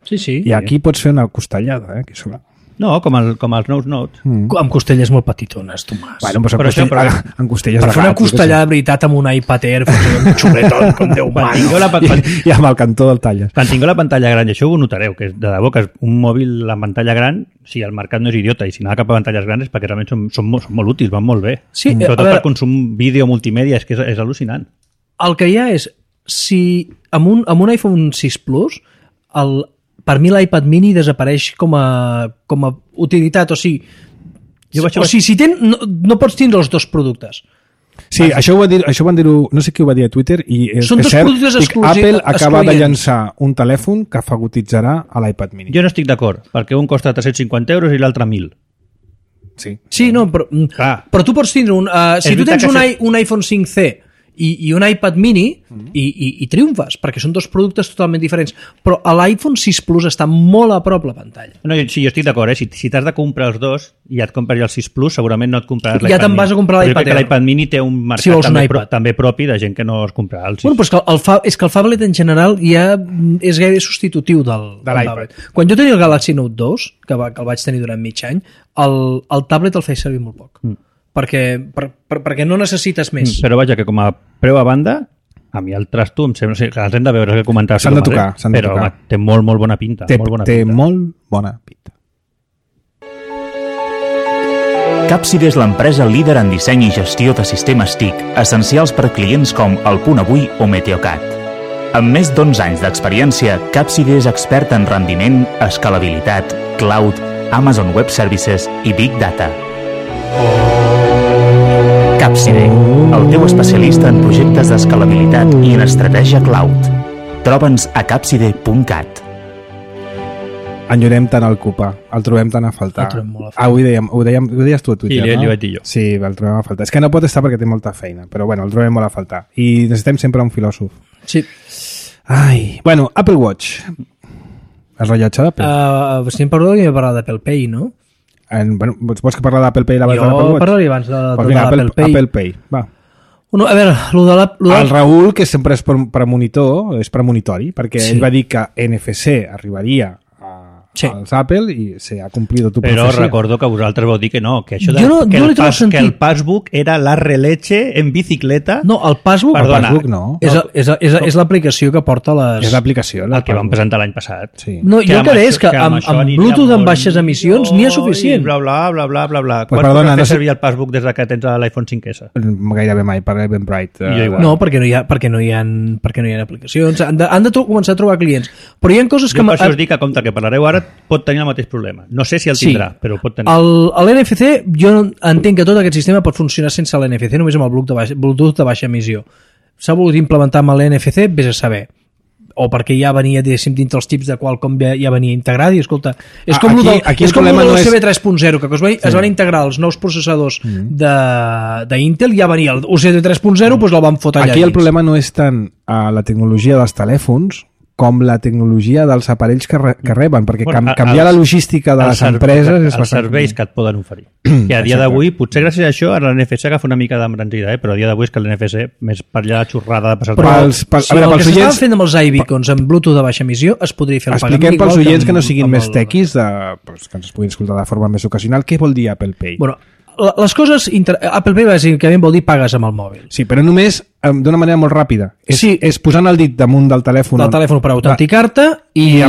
Sí. I aquí pots fer una costellada, aquí sobre. No, com els nous Notes. Amb costelles molt petitones, Tomàs. Bueno, però en costelles per fer una costellada de veritat amb un iPad Air, un xuletot, com Déu mano. I amb el cantó del talles. Quan tingueu la pantalla gran, i això ho notareu, que de debò que és un mòbil amb pantalla gran, si el mercat no és idiota i si anava cap a pantalles grans és perquè realment són molt útils, van molt bé. Sí, sobretot per consum vídeo multimèdia, és que és al·lucinant. El que hi ha és, si amb un iPhone 6 Plus, per mi l'iPad mini desapareix com a utilitat, o sigui, si no pots tindre els dos productes. Sí, això van dir-ho, no sé qui ho va dir a Twitter, i és cert, Apple acaba de llançar un telèfon que fagotitjarà a l'iPad mini. Jo no estic d'acord, perquè un costa 350 euros i l'altre 1.000. Sí, no, però tu pots tindre si tu tens un iPhone 5C i un iPad mini i triomfes, perquè són dos productes totalment diferents, però l'iPhone 6 Plus està molt a prop la pantalla. No, sí, jo estic d'acord, si t'has de comprar els dos i et compres el 6 Plus, segurament no et compraràs l'iPad mini. Ja te'n vas a comprar l'iPad Air. L'iPad mini té un mercat també propi de gent que no es comprarà el 6. Bueno, però és que el phablet en general ja és gaire substitutiu de l'iPad. Quan jo tenia el Galaxy Note 2, que el vaig tenir durant mig any, el tablet el feia servir molt poc. Perquè no necessites més. Però vaja, que com a preu a banda, a mi el trasto em sembla... Els hem de veure, que comentaves. S'han de tocar. Però home, té molt bona pinta. Té molt bona pinta. Capside és l'empresa líder en disseny i gestió de sistemes TIC, essencials per clients com El Punt Avui o Meteocat. Amb més d'11 anys d'experiència, Capside és expert en rendiment, escalabilitat, cloud, Amazon Web Services i Big Data. Capside, el teu especialista en projectes d'escalabilitat i en estratègia cloud. Troba'ns a capside.cat. Enyorem tant el Cupa, el trobem tant a faltar. Ho deies tu a Twitter, no? Sí, li vaig dir jo. Sí, el trobem a faltar. És que no pot estar perquè té molta feina, però bueno, el trobem molt a faltar. I necessitem sempre un filòsof. Sí. Ai, bueno, Apple Watch. El rellotge d'Apple. Estem parlant d'Apple Pay, no? Bueno, vols que parlar d'Apple Pay abans de l'Apple Watch? Jo parlaria abans de l'Apple Pay. Apple Pay, va. A veure, el Raül, que sempre és és premonitori, perquè ell va dir que NFC arribaria als Apple i se ha cumplido tu profecia. Però recordo que vosaltres vau dir que no, que això que el Passbook era la releche en bicicleta. No, el Passbook, perdona, no. És l'aplicació que porta les... És l'aplicació. El que vam presentar l'any passat. Sí. No, jo el que deia és que amb Bluetooth amb baixes emissions n'hi ha suficient. Bla, bla. Pues perdona, no servir el Passbook des que tens l'iPhone 5S? Gairebé mai, per ben bright. No, perquè no hi ha aplicacions. Han de començar a trobar clients. Però hi ha coses que... Jo per això us dic que, compte, que parlareu ara, pot tenir el mateix problema. No sé si el tindrà, però pot tenir. L'NFC, jo entenc que tot aquest sistema pot funcionar sense l'NFC, només amb el Bluetooth de baixa emissió. S'ha volgut implementar amb l'NFC, vés a saber. O perquè ja venia, diguéssim, dintre els tips de Qualcomm ja venia integrat i, escolta, és com el USB 3.0, que es van integrar els nous processadors d'Intel, ja venia el USB 3.0, doncs el van fotre allà. Aquí el problema no és tant la tecnologia dels telèfons, com la tecnologia dels aparells que reben, perquè canviar la logística de les empreses és els serveis que et poden oferir. Que a dia d'avui, potser gràcies a això, ara l'NFC agafa una mica d'embranzida, però a dia d'avui és que l'NFC, més per allà la xorrada de passar... Però el que s'estava fent amb els iBeacons amb Bluetooth de baixa emissió es podria fer el pagament igual. Expliquem pels oients que no siguin més tequis, que ens puguin escoltar de forma més ocasional, què vol dir Apple Pay? Bueno, les coses... Apple Pay bàsicament vol dir pagues amb el mòbil. Sí, però només d'una manera molt ràpida. És posant el dit damunt del telèfon. Del telèfon per autenticar-te i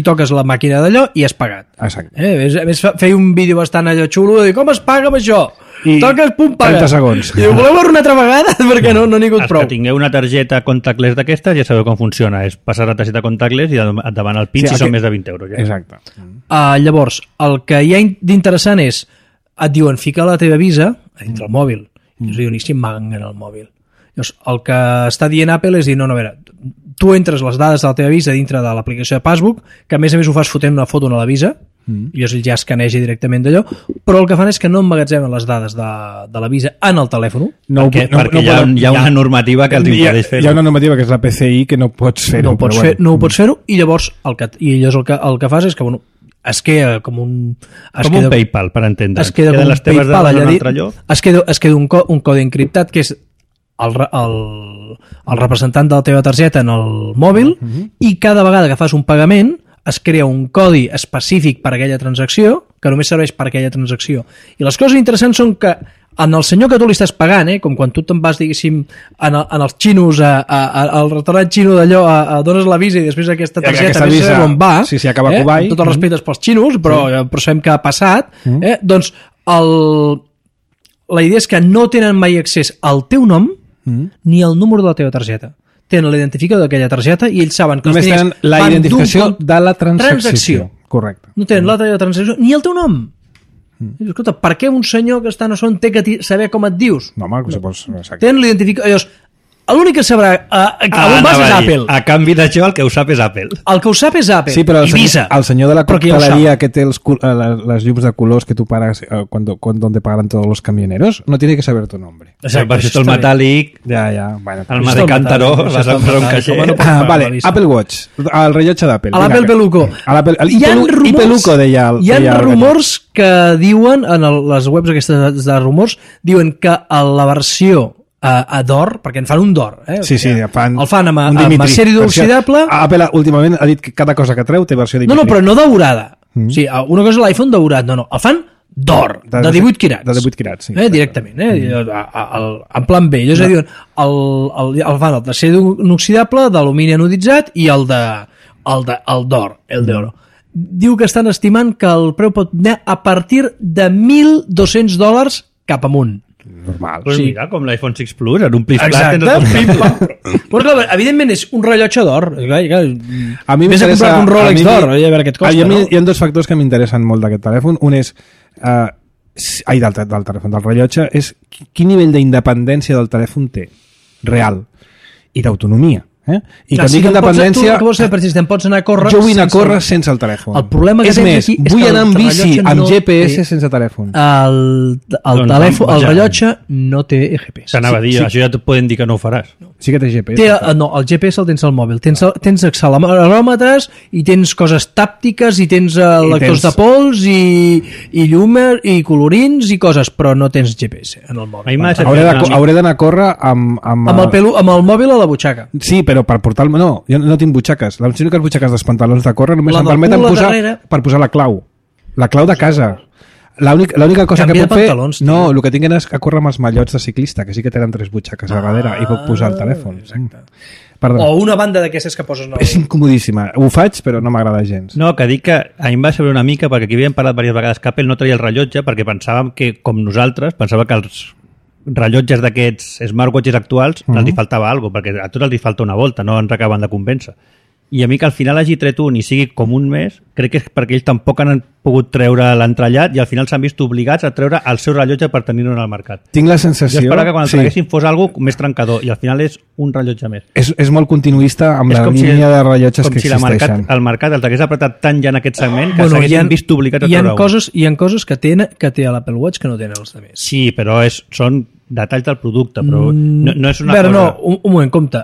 toques la màquina d'allò i has pagat. Exacte. A més, feia un vídeo bastant allò xulo de dir com es paga amb això? I toques, pum, paga. 30 segons. I ho voleu veure una altra vegada? Perquè no n'hi ha hagut prou. Els que tingueu una targeta contactless d'aquestes ja sabeu com funciona. És passar la targeta contactless i et davant el PIN si són més de 20 euros. Ja. Exacte. Llavors, el que hi ha d'interessant és et diuen, fica la teva Visa dintre el mòbil. I us diuen, i si manguen el mòbil? Llavors, el que està dient Apple és dir, no, a veure, tu entres les dades de la teva Visa dintre de l'aplicació de Passbook, que a més ho fas fotent una foto a la Visa, i llavors ja escaneja directament d'allò, però el que fan és que no emmagatzemen les dades de la Visa en el telèfon. Perquè hi ha una normativa que els impedeix fer-ho. Hi ha una normativa que és la PCI que no pots fer-ho. No ho pots fer-ho, i llavors el que fas és que, bueno, es queda com un... Com un PayPal, per entendre. Es queda com un PayPal allà dit. Es queda un codi encriptat que és el representant de la teva targeta en el mòbil, i cada vegada que fas un pagament es crea un codi específic per a aquella transacció, que només serveix per a aquella transacció. I les coses interessants són que en el senyor que tu li estàs pagant, com quan tu te'n vas, diguéssim, en els xinos, al restaurant xino d'allò, dones la Visa i després aquesta targeta no sé on va, sí, acaba a Kuwait. Tot el respecte pels xinos, però sabem que ha passat, doncs la idea és que no tenen mai accés al teu nom ni al número de la teva targeta. Tenen l'identificador d'aquella targeta i ells saben que només tenen la identificació de la transacció. Correcte. No tenen la teva transacció ni el teu nom. Escolta, per què un senyor que està a son té que saber com et dius? No, home, si vols... Tenen l'identificador... L'únic que sabrà on vas és Apple. A canvi d'això, el que ho sap és Apple. El que ho sap és Apple. Sí, però el senyor de la coctelería que té les llums de colors que tu pagas donde pagan todos los camioneros, no tiene que saber tu nombre. Per això el metàl·lic, el mas de Cántaro, vas a posar un caixer. Vale, Apple Watch, el rellotge d'Apple. L'Apple Peluco. I Peluco, deia el... Hi ha rumors que diuen, en les webs aquestes de rumors, diuen que la versió a d'or, perquè en fan un d'or, sí, el fan amb acer inoxidable. Apple últimament ha dit que cada cosa que treu té versió Dimitri. No, però no daurada. O sigui, una cosa és l'iPhone daurat, no, el fan d'or, de 18 quirats. De 18 quirats, sí. Directament, en plan B. Ells diuen, el fan el d'acer inoxidable, d'alumini anoditzat i el d'or, el d'oro. Diu que estan estimant que el preu pot anar a partir de $1.200 cap amunt. Normal. Pues mira, com l'iPhone 6 Plus, en un plis plat. Exacte. Però clar, evidentment és un rellotge d'or. A mi m'interessa... Vés a comprar un Rolex d'or, a veure què et costa. Hi ha dos factors que m'interessen molt d'aquest telèfon. Un és... del telèfon, del rellotge, és quin nivell d'independència del telèfon té, real, i d'autonomia. I quan dic independència... Tu vols fer, per si te'n pots anar a córrer... Jo vull anar a córrer sense el telèfon. El problema que tens aquí és vull anar amb bici, amb GPS sense telèfon. El rellotge no té GPS. T'anava a dir, això ja et poden dir que no ho faràs. Sí que té GPS. No, el GPS el tens al mòbil. Tens acceleròmetres i tens coses tàptiques i tens lectors de pols i llumers i colorins i coses, però no tens GPS en el mòbil. Hauré d'anar a córrer amb el mòbil a la butxaca. Sí, però per portar... No, jo no tinc butxaques. Les úniques butxaques dels pantalons de córrer només em permeten posar la clau. La clau de casa. L'única cosa que puc fer... No, el que tinc és a córrer amb els mallots de ciclista, que sí que tenen 3 butxaques a darrere i puc posar el telèfon. O una banda d'aquestes que poses... És incomodíssima. Ho faig, però no m'agrada gens. No, que dic que a mi em va saber una mica, perquè aquí havíem parlat diverses vegades que Apple no traia el rellotge, perquè pensàvem que, com nosaltres, pensava que els rellotges d'aquests smartwatches actuals els hi faltava alguna cosa, perquè a tots els hi falta una volta, no ens acaben de convèncer. I a mi que al final hagi tret un i sigui com un mes, crec que és perquè ells tampoc han pogut treure l'entrellat i al final s'han vist obligats a treure el seu rellotge per tenir-ho en el mercat. Tinc la sensació... Jo esperava que quan el traguessin fos alguna més trencador i al final és un rellotge més. És molt continuista amb la línia de rellotges que existeixen. Com si el mercat el t'hagués apretat tant ja en aquest segment que s'haguessin vist obligats a treure un. Hi ha coses que té l'Apple Watch que no tenen els altres. Sí, però són detalls del producte, però no és una cosa... No, un moment, compte.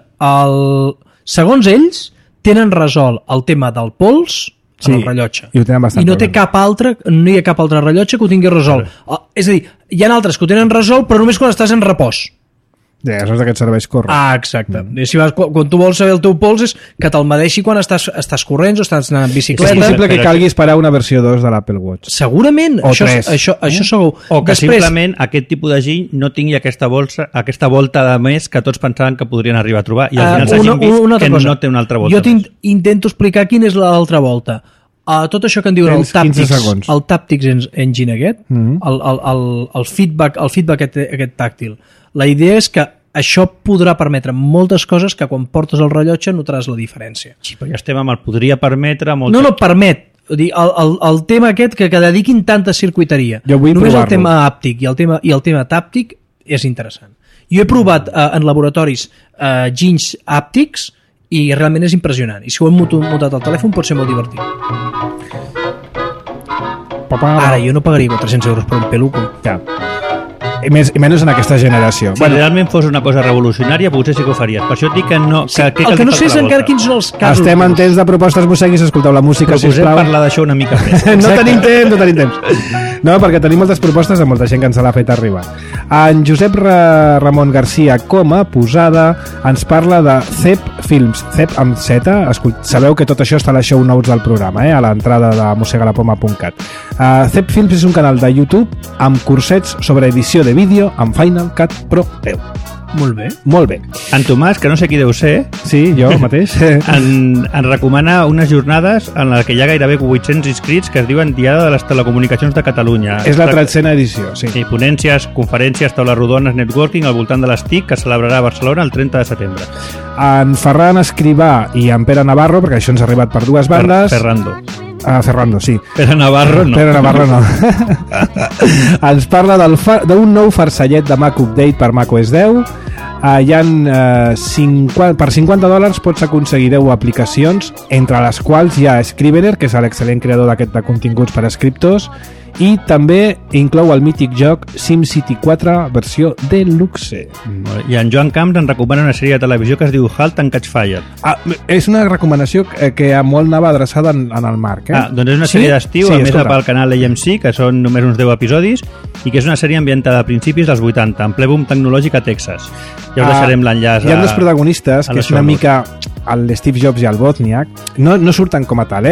Segons ells, tenen resolt el tema del pols en el rellotge. I ho tenen bastant. I no hi ha cap altre rellotge que ho tingui resolt. És a dir, hi ha altres que ho tenen resolt, però només quan estàs en repòs. Ja, saps d'aquests serveis corren. Exacte. I si vas, quan tu vols saber el teu pols és que te'l medeixi quan estàs corrents o estàs anant en bicicleta. És possible que calgui esperar una versió 2 de l'Apple Watch. Segurament. O 3. Això segur. O que simplement aquest tipus de gent no tingui aquesta volta de més que tots pensaven que podrien arribar a trobar i al final s'hagin vist que no té una altra volta. Jo intento explicar quina és l'altra volta. Tot això que en diuen el Taptics Engine aquest, el feedback aquest tàctil, la idea és que això podrà permetre moltes coses que quan portes el rellotge notaràs la diferència. Sí, però ja estem amb el podria permetre... No, permet. El tema aquest que dediquin tanta circuiteria. Només el tema àptic i el tema tàptic és interessant. Jo he provat en laboratoris ginys àptics i realment és impressionant. I si ho hem muntat al telèfon pot ser molt divertit. Ara, jo no pagaria 400 euros per un peluco. Ja. I menys en aquesta generació. Si realment fos una cosa revolucionària, potser sí que ho faries. Per això et dic que no... El que no sé és encara quins són els casos. Estem en temps de propostes musseguis, escolteu la música, sisplau. Proposem parlar d'això una mica més. No tenim temps. No, perquè tenim moltes propostes de molta gent que ens l'ha fet arribar. En Josep Ramon Garcia Coma, Posada, ens parla de CEP Films. CEP amb Z. Sabeu que tot això està a les show notes del programa, a l'entrada de mosegalapoma.cat. CEP Films és un canal de YouTube amb cursets sobre edició de vídeo amb Final Cut Pro 10. Molt bé. En Tomàs, que no sé qui deu ser, sí, jo mateix, ens recomana unes jornades en les que hi ha gairebé 800 inscrits que es diuen Diada de les Telecomunicacions de Catalunya. És la 13a edició, sí. Sí, ponències, conferències, taules rodones, networking al voltant de les TIC que celebrarà a Barcelona el 30 de setembre. En Ferran Escrivà i en Pere Navarro, perquè això ens ha arribat per dues bandes. Ferrando, sí. Pere Navarro no. Ens parla d'un nou farcellet de Mac Update per macOS 10. Hi ha per $50 pots aconseguir 10 aplicacions, entre les quals hi ha Scrivener, que és l'excel·lent creador d'aquest de continguts per a escriptors, i també inclou el mític joc SimCity 4 versió Deluxe. I en Joan Camps ens recomana una sèrie de televisió que es diu Halt and Catch Fire. És una recomanació que molt anava adreçada en el Marc. Doncs és una sèrie d'estiu, a més pel canal AMC, que són només uns 10 episodis, i que és una sèrie ambientada a principis dels 80, en ple boom tecnològic a Texas. Ja us deixarem l'enllaç. Hi ha dos protagonistes, que és una mica l'Steve Jobs i el Wozniak. No surten com a tal,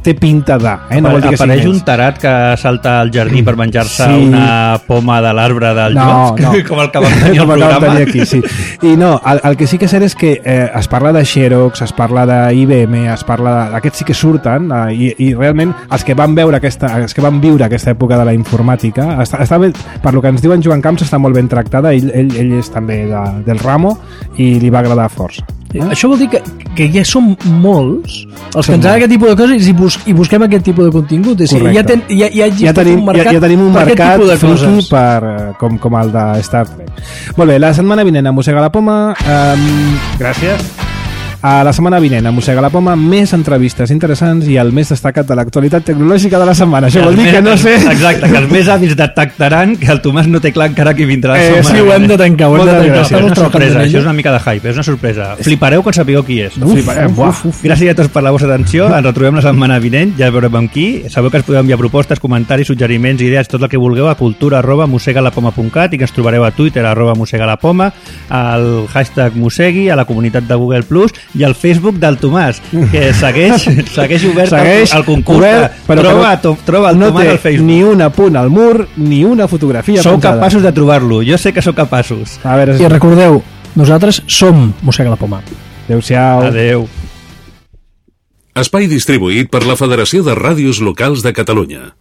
té pinta de... No vol dir que apareix un tarat que salta al jardí per menjar-se una poma de l'arbre del joc, com el que vam tenir al programa. Aquí, sí. I no, el que sí que és cert és que es parla de Xerox, es parla d'IBM, es parla d'aquests sí que surten, i realment els que van viure aquesta època de la informàtica, està bé, per lo que ens diuen Joan Camps, està molt ben tractada, ell és també del ramo i li va agradar força. Això vol dir que ja som molts els que ens agrada aquest tipus de coses i busquem aquest tipus de contingut. Ja tenim un mercat friki com el de Star Trek. Molt bé, la setmana vinent a Mossega la Poma, gràcies. A la setmana vinent a Mossega la Poma, més entrevistes interessants i el més destacat de l'actualitat tecnològica de la setmana. Això vol dir que no sé... Exacte, que els més avis detectaran que el Tomàs no té clar encara qui vindrà la setmana. Sí, ho hem de tancar. És una sorpresa, això és una mica de hype, és una sorpresa. Flipareu quan sapigueu qui és. Gràcies a tots per la vostra atenció, ens retrobem la setmana vinent, ja veurem amb qui. Sabeu que ens podeu enviar propostes, comentaris, suggeriments, idees, tot el que vulgueu a cultura@mosegalapoma.cat i que ens trobareu a Twitter @mosegalapoma, al hashtag Mosegui, a la comunitat de Google+, i al Facebook del Tomàs, que segueix obert el concurs. Troba el Tomàs al Facebook. Ni un apunt al mur, ni una fotografia. Sou capaços de trobar-lo, jo sé que sou capaços. I recordeu, nosaltres som Mossega la Poma. Adéu-siau. Adéu. Espai distribuït per la Federació de Ràdios Locals de Catalunya.